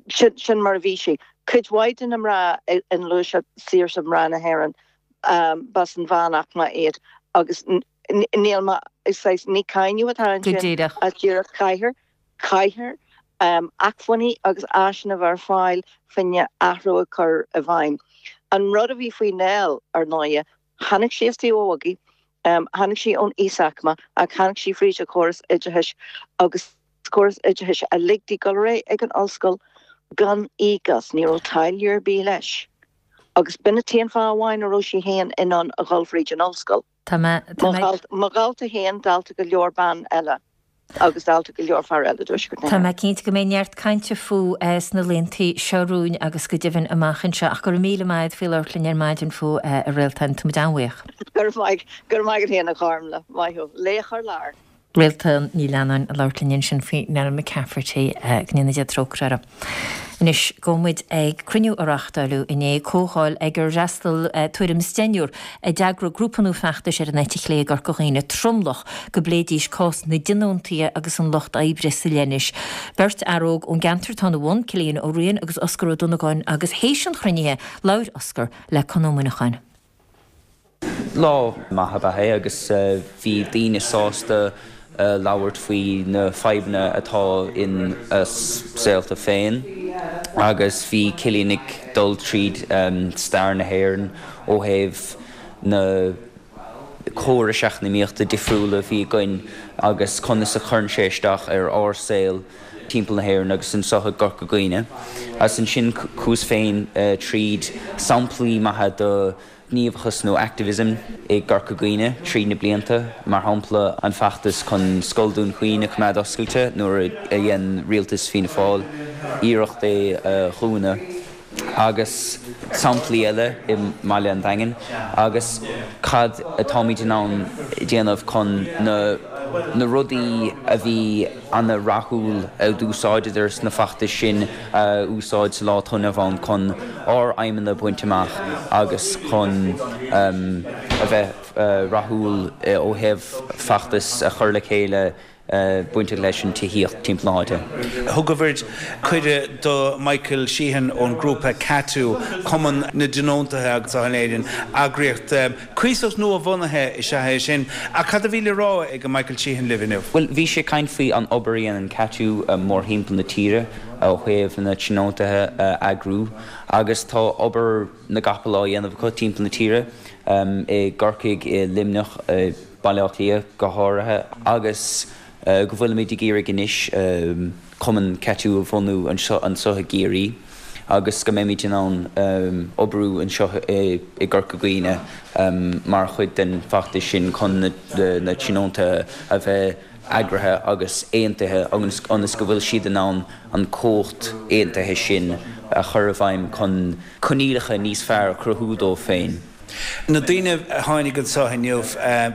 sin sin mar a bhí sí. Cuid mhaith de na mná i ngluaiseacht saoirse mná na hÉireann b'as an mheánaicme iad agus níl mé saghas ní cáineadh atá ansin ach díreach caithfear caithfear acmhainní agus áiseanna a bheith ar fáil fá choinne athrú a chur i bhfeidhm. An rud a bhí faoi Nell, ar ndóighe, tháinig sí as Taobh an Bhogaigh, tháinig sí ón íosaicme ach tháinig sí fríd an chóras oideachais agus córas oideachais a lig di dul ar aghaidh ag an ollscoil gan íoc as, ní raibh táille ar bith leis. Agus b'in an t-aon fáth amháin a raibh sí féin in ann a dhul fríd an ollscoil. Tá mé, tá mé. Mo dhalta féin, dalta go leor ban eile agus dalta go leor fear eile i dTuaisceart na Tá hÉireann. mé cinnte go mbeidh neart cainte fúithi sna laethanta seo romhainn agus go deimhin amach anseo ach go raibh míle maith agat faoi labhairt linn ar maidin fúithi, a Réaltán. Tá muid an-bhuíoch. Go raibh maith, go raibh maith agat féin a Chormlaith. Maith thú. Laoch ar lár. Réaltán Ní Leannáin ag labhairt linn ansin faoi Nell McCafferty, go ndéana Dia trócaire uirthi. Anois, gabhfaidh muid ag cruinniú a reáchtáileadh inné, comhdháil ag ar fhreastail tuairim is deichniúr a d'eagraigh grúpa nua feachtais ar an eite chlé i gCorca Dhuibhne, Tromlach, go bpléidís cás na dtionóntaithe agus an lucht oibre sa leithnis. Beirt fhear óg ón gceantar atá ina bhun, Cillian Ó Riain agus Oscar Ó Donnabháin agus théis an chruinnithe, labhair Oscar le Conn Ó Muineacháin. Lá maith ab ea é agus bhí daoine sásta labhairt faoi na fadhbanna atá ina saolta féin agus bhí Cillian ag dul tríd stair na hÉireann ó thaobh na córais eacnamaíochta difriúla a bhí againn agus conas a chuireann sé isteach ar ár saol timpeall na hÉireann agus anseo i gCorca Dhuibhne. Agus ansin chuas féin tríd samplaí maithe de ghníomhachas nó activism i gCorca Dhuibhne tríd na blianta, mar shampla an feachtas chun Scoil Dún Chaoin a choimeád oscailte nuair a dhein rialtas Fianna Fáil iarracht é a dhúnadh, agus samplaí eile i mbaile an Daingin, agus cad atáimid in ann déanamh chun na na rudaí a bhí ana-rathúil a d'úsáideadar sna feachtais sin a úsáid sa lá atá inniu ann chun ár aidhmeanna a bhaint amach agus chun a bheith rathúil ó thaobh feachtas a chur le chéile bainteach leis an tithíocht timpeall na háite. Thugaibh cuireadh do Michael Sheehan ón ngrúpa CATU, Cumann na dTionóntaithe anseo in Éirinn, eagraíocht cuíosach nua-bhunaithe is ea é sin. Ach cad a bhí le rá ag Michael Sheehan libh inniu? Bhuel, bhí sé ag caint faoi an obair a dhéanann CATU mórthimpeall na tíre ó thaobh na tionóntaithe a eagrú agus tá obair na gcapall á dhéanamh acu timpeall na tíre, i gCorcaigh, i Luimneach, i Baile Átha Cliath go háirithe, agus go bhfuilimid ag iarraidh anois cumann CATU a bhunú anseo anseo i gCiarraí agus go mbeimid in ann oibriú anseo i gCorca Dhuibhne mar chuid den bhfeachtas sin chun na tionóntaithe a bheith eagraithe agus aontaithe ionas go bhfuil siad in ann an chumhacht aontaithe sin a chur i bhfeidhm chun coinníollacha níos fearr a chruthú dóibh féin. Na daoine a tháinig anseo inniu,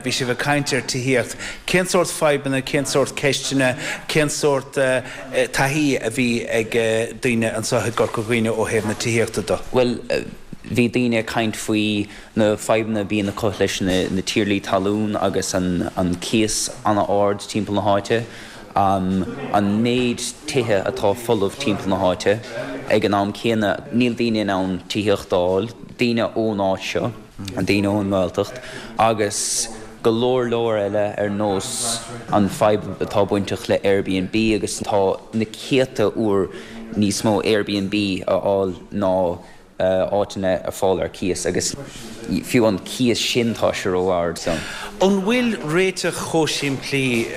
bhí sibh ag caint ar tithíocht. Cén sórt fadhbanna, cén sórt ceisteanna, cén sórt taithí a bhí ag daoine anseo i gCorca Dhuibhne ó thaobh na tithíochta de? Bhuel, bhí daoine ag caint faoi na fadhbanna a bhíonn acu leis na tiarlaí talún agus an cíos an-ard timpeall na háite. an méid tithe atá folamh timpeall na háite. Ag an am céanna, níl daoine in ann tithíocht a fháil, daoine ón áit seo, daoine ón nGaeltacht, agus go leor leor eile ar nós an fadhb atá bainteach le Airbnb agus tá na céadta uair níos mó Airbnb a fháil ná áiteanna ar fáil ar cíos agus fiú an cíos sin tá sé ró-ard. So. An bhfuil réiteach chomh simplí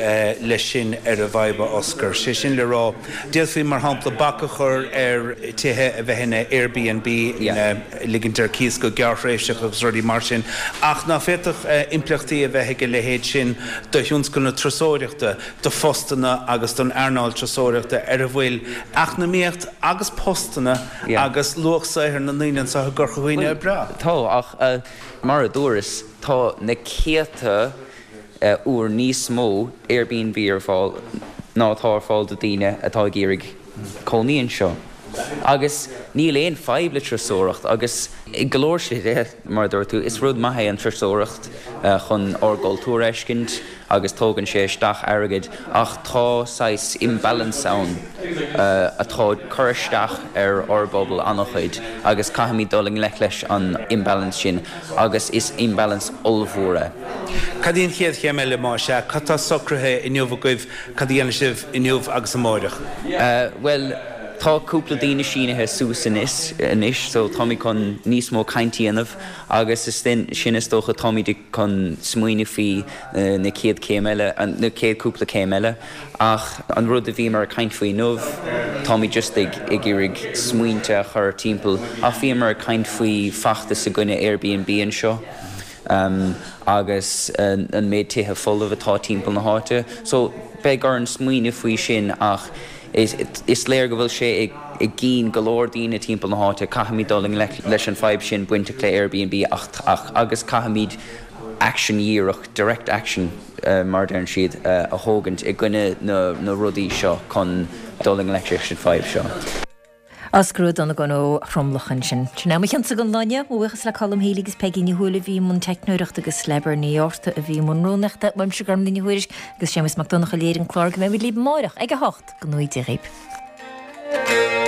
leis sin ar an bhfadhb, a Oscar? Sé sin le rá, d'fhéadfaí mar shampla bac a chur ar tithe a bheith ina Airbnb, ina ligint ar cíos go gearrthréimhseach agus rudaí mar sin, ach ná féadfadh impleachtaí a bheith ag a leithéid sin do thionscal na turasóireachta, do phostanna agus don earnáil turasóireachta ar a bhfuil eacnamaíocht agus postanna agus luach saothair na ndaoine anseo i gCorca Dhuibhne ag brath. Tá, ach mar a dúras, tá na céadta uair níos mó Airbnb ar fáil ná atá ar fáil do daoine atá ag iarraidh cónaí anseo. Agus níl aon fadhb le turasóireacht agus i go leor slite, mar a dúirt tú, is rud maith é an turasóireacht chun ár gcultúr a fheiscint agus tógann sé isteach airgead ach tá saghas imbalance ann atá ag cur isteach ar ár bpobal an-chuid agus caithfimid dul i ngleic leis an imbalance sin agus is imbalance ollmhór é. Cad í an chéad chéim eile más ea? Cad tá socraithe inniu agaibh? Cad a dhéanfaidh sibh inniu agus amáireach? Bhuel, tá cúpla daoine sínithe suas anois anois so táimid chun níos mó caint a dhéanamh agus is sin is dócha táimid chun smaoineamh faoi na chéad chéim eile, na chéad cúpla céim eile ach an rud a bhíomar ag caint faoi inniu táimid just ag ag iarraidh smaointe a chur timpeall ach bhíomar ag caint faoi feachtas i gcoinne Airbnb anseo. agus an méid tithe folamh atá timpeall na háite. So, beidh orainn smaoineamh faoi sin ach is léir go bhfuil sé i gcinn go leor daoine timpeall na háite. Caithfimid dul i ngleic leis an fadhb sin bainteach le Airbnb ach ach agus caithfimid action dhíreach, direct action mar a deireann siad, a thógaint i gcoinne na na rudaí seo chun dul i ngleic leis an fadhb seo. Oscar Ó Donnabháin ó Thromlach ansin. Sin é mo chionsa don lá inniu. Mo bhuíochas le Colm Healy agus Peigí Ní Thuathail a bhí i mbun teicneoireachta agus le Bernie Orta a bhí i mbun rúnaíochta. Uaimse Gormlaith Ní Thuairisg agus Séamus Mac Donncha a léirigh an clár go mbeimid libh amáireach ag a hocht. Go ngnóthaí Dia dhaoibh.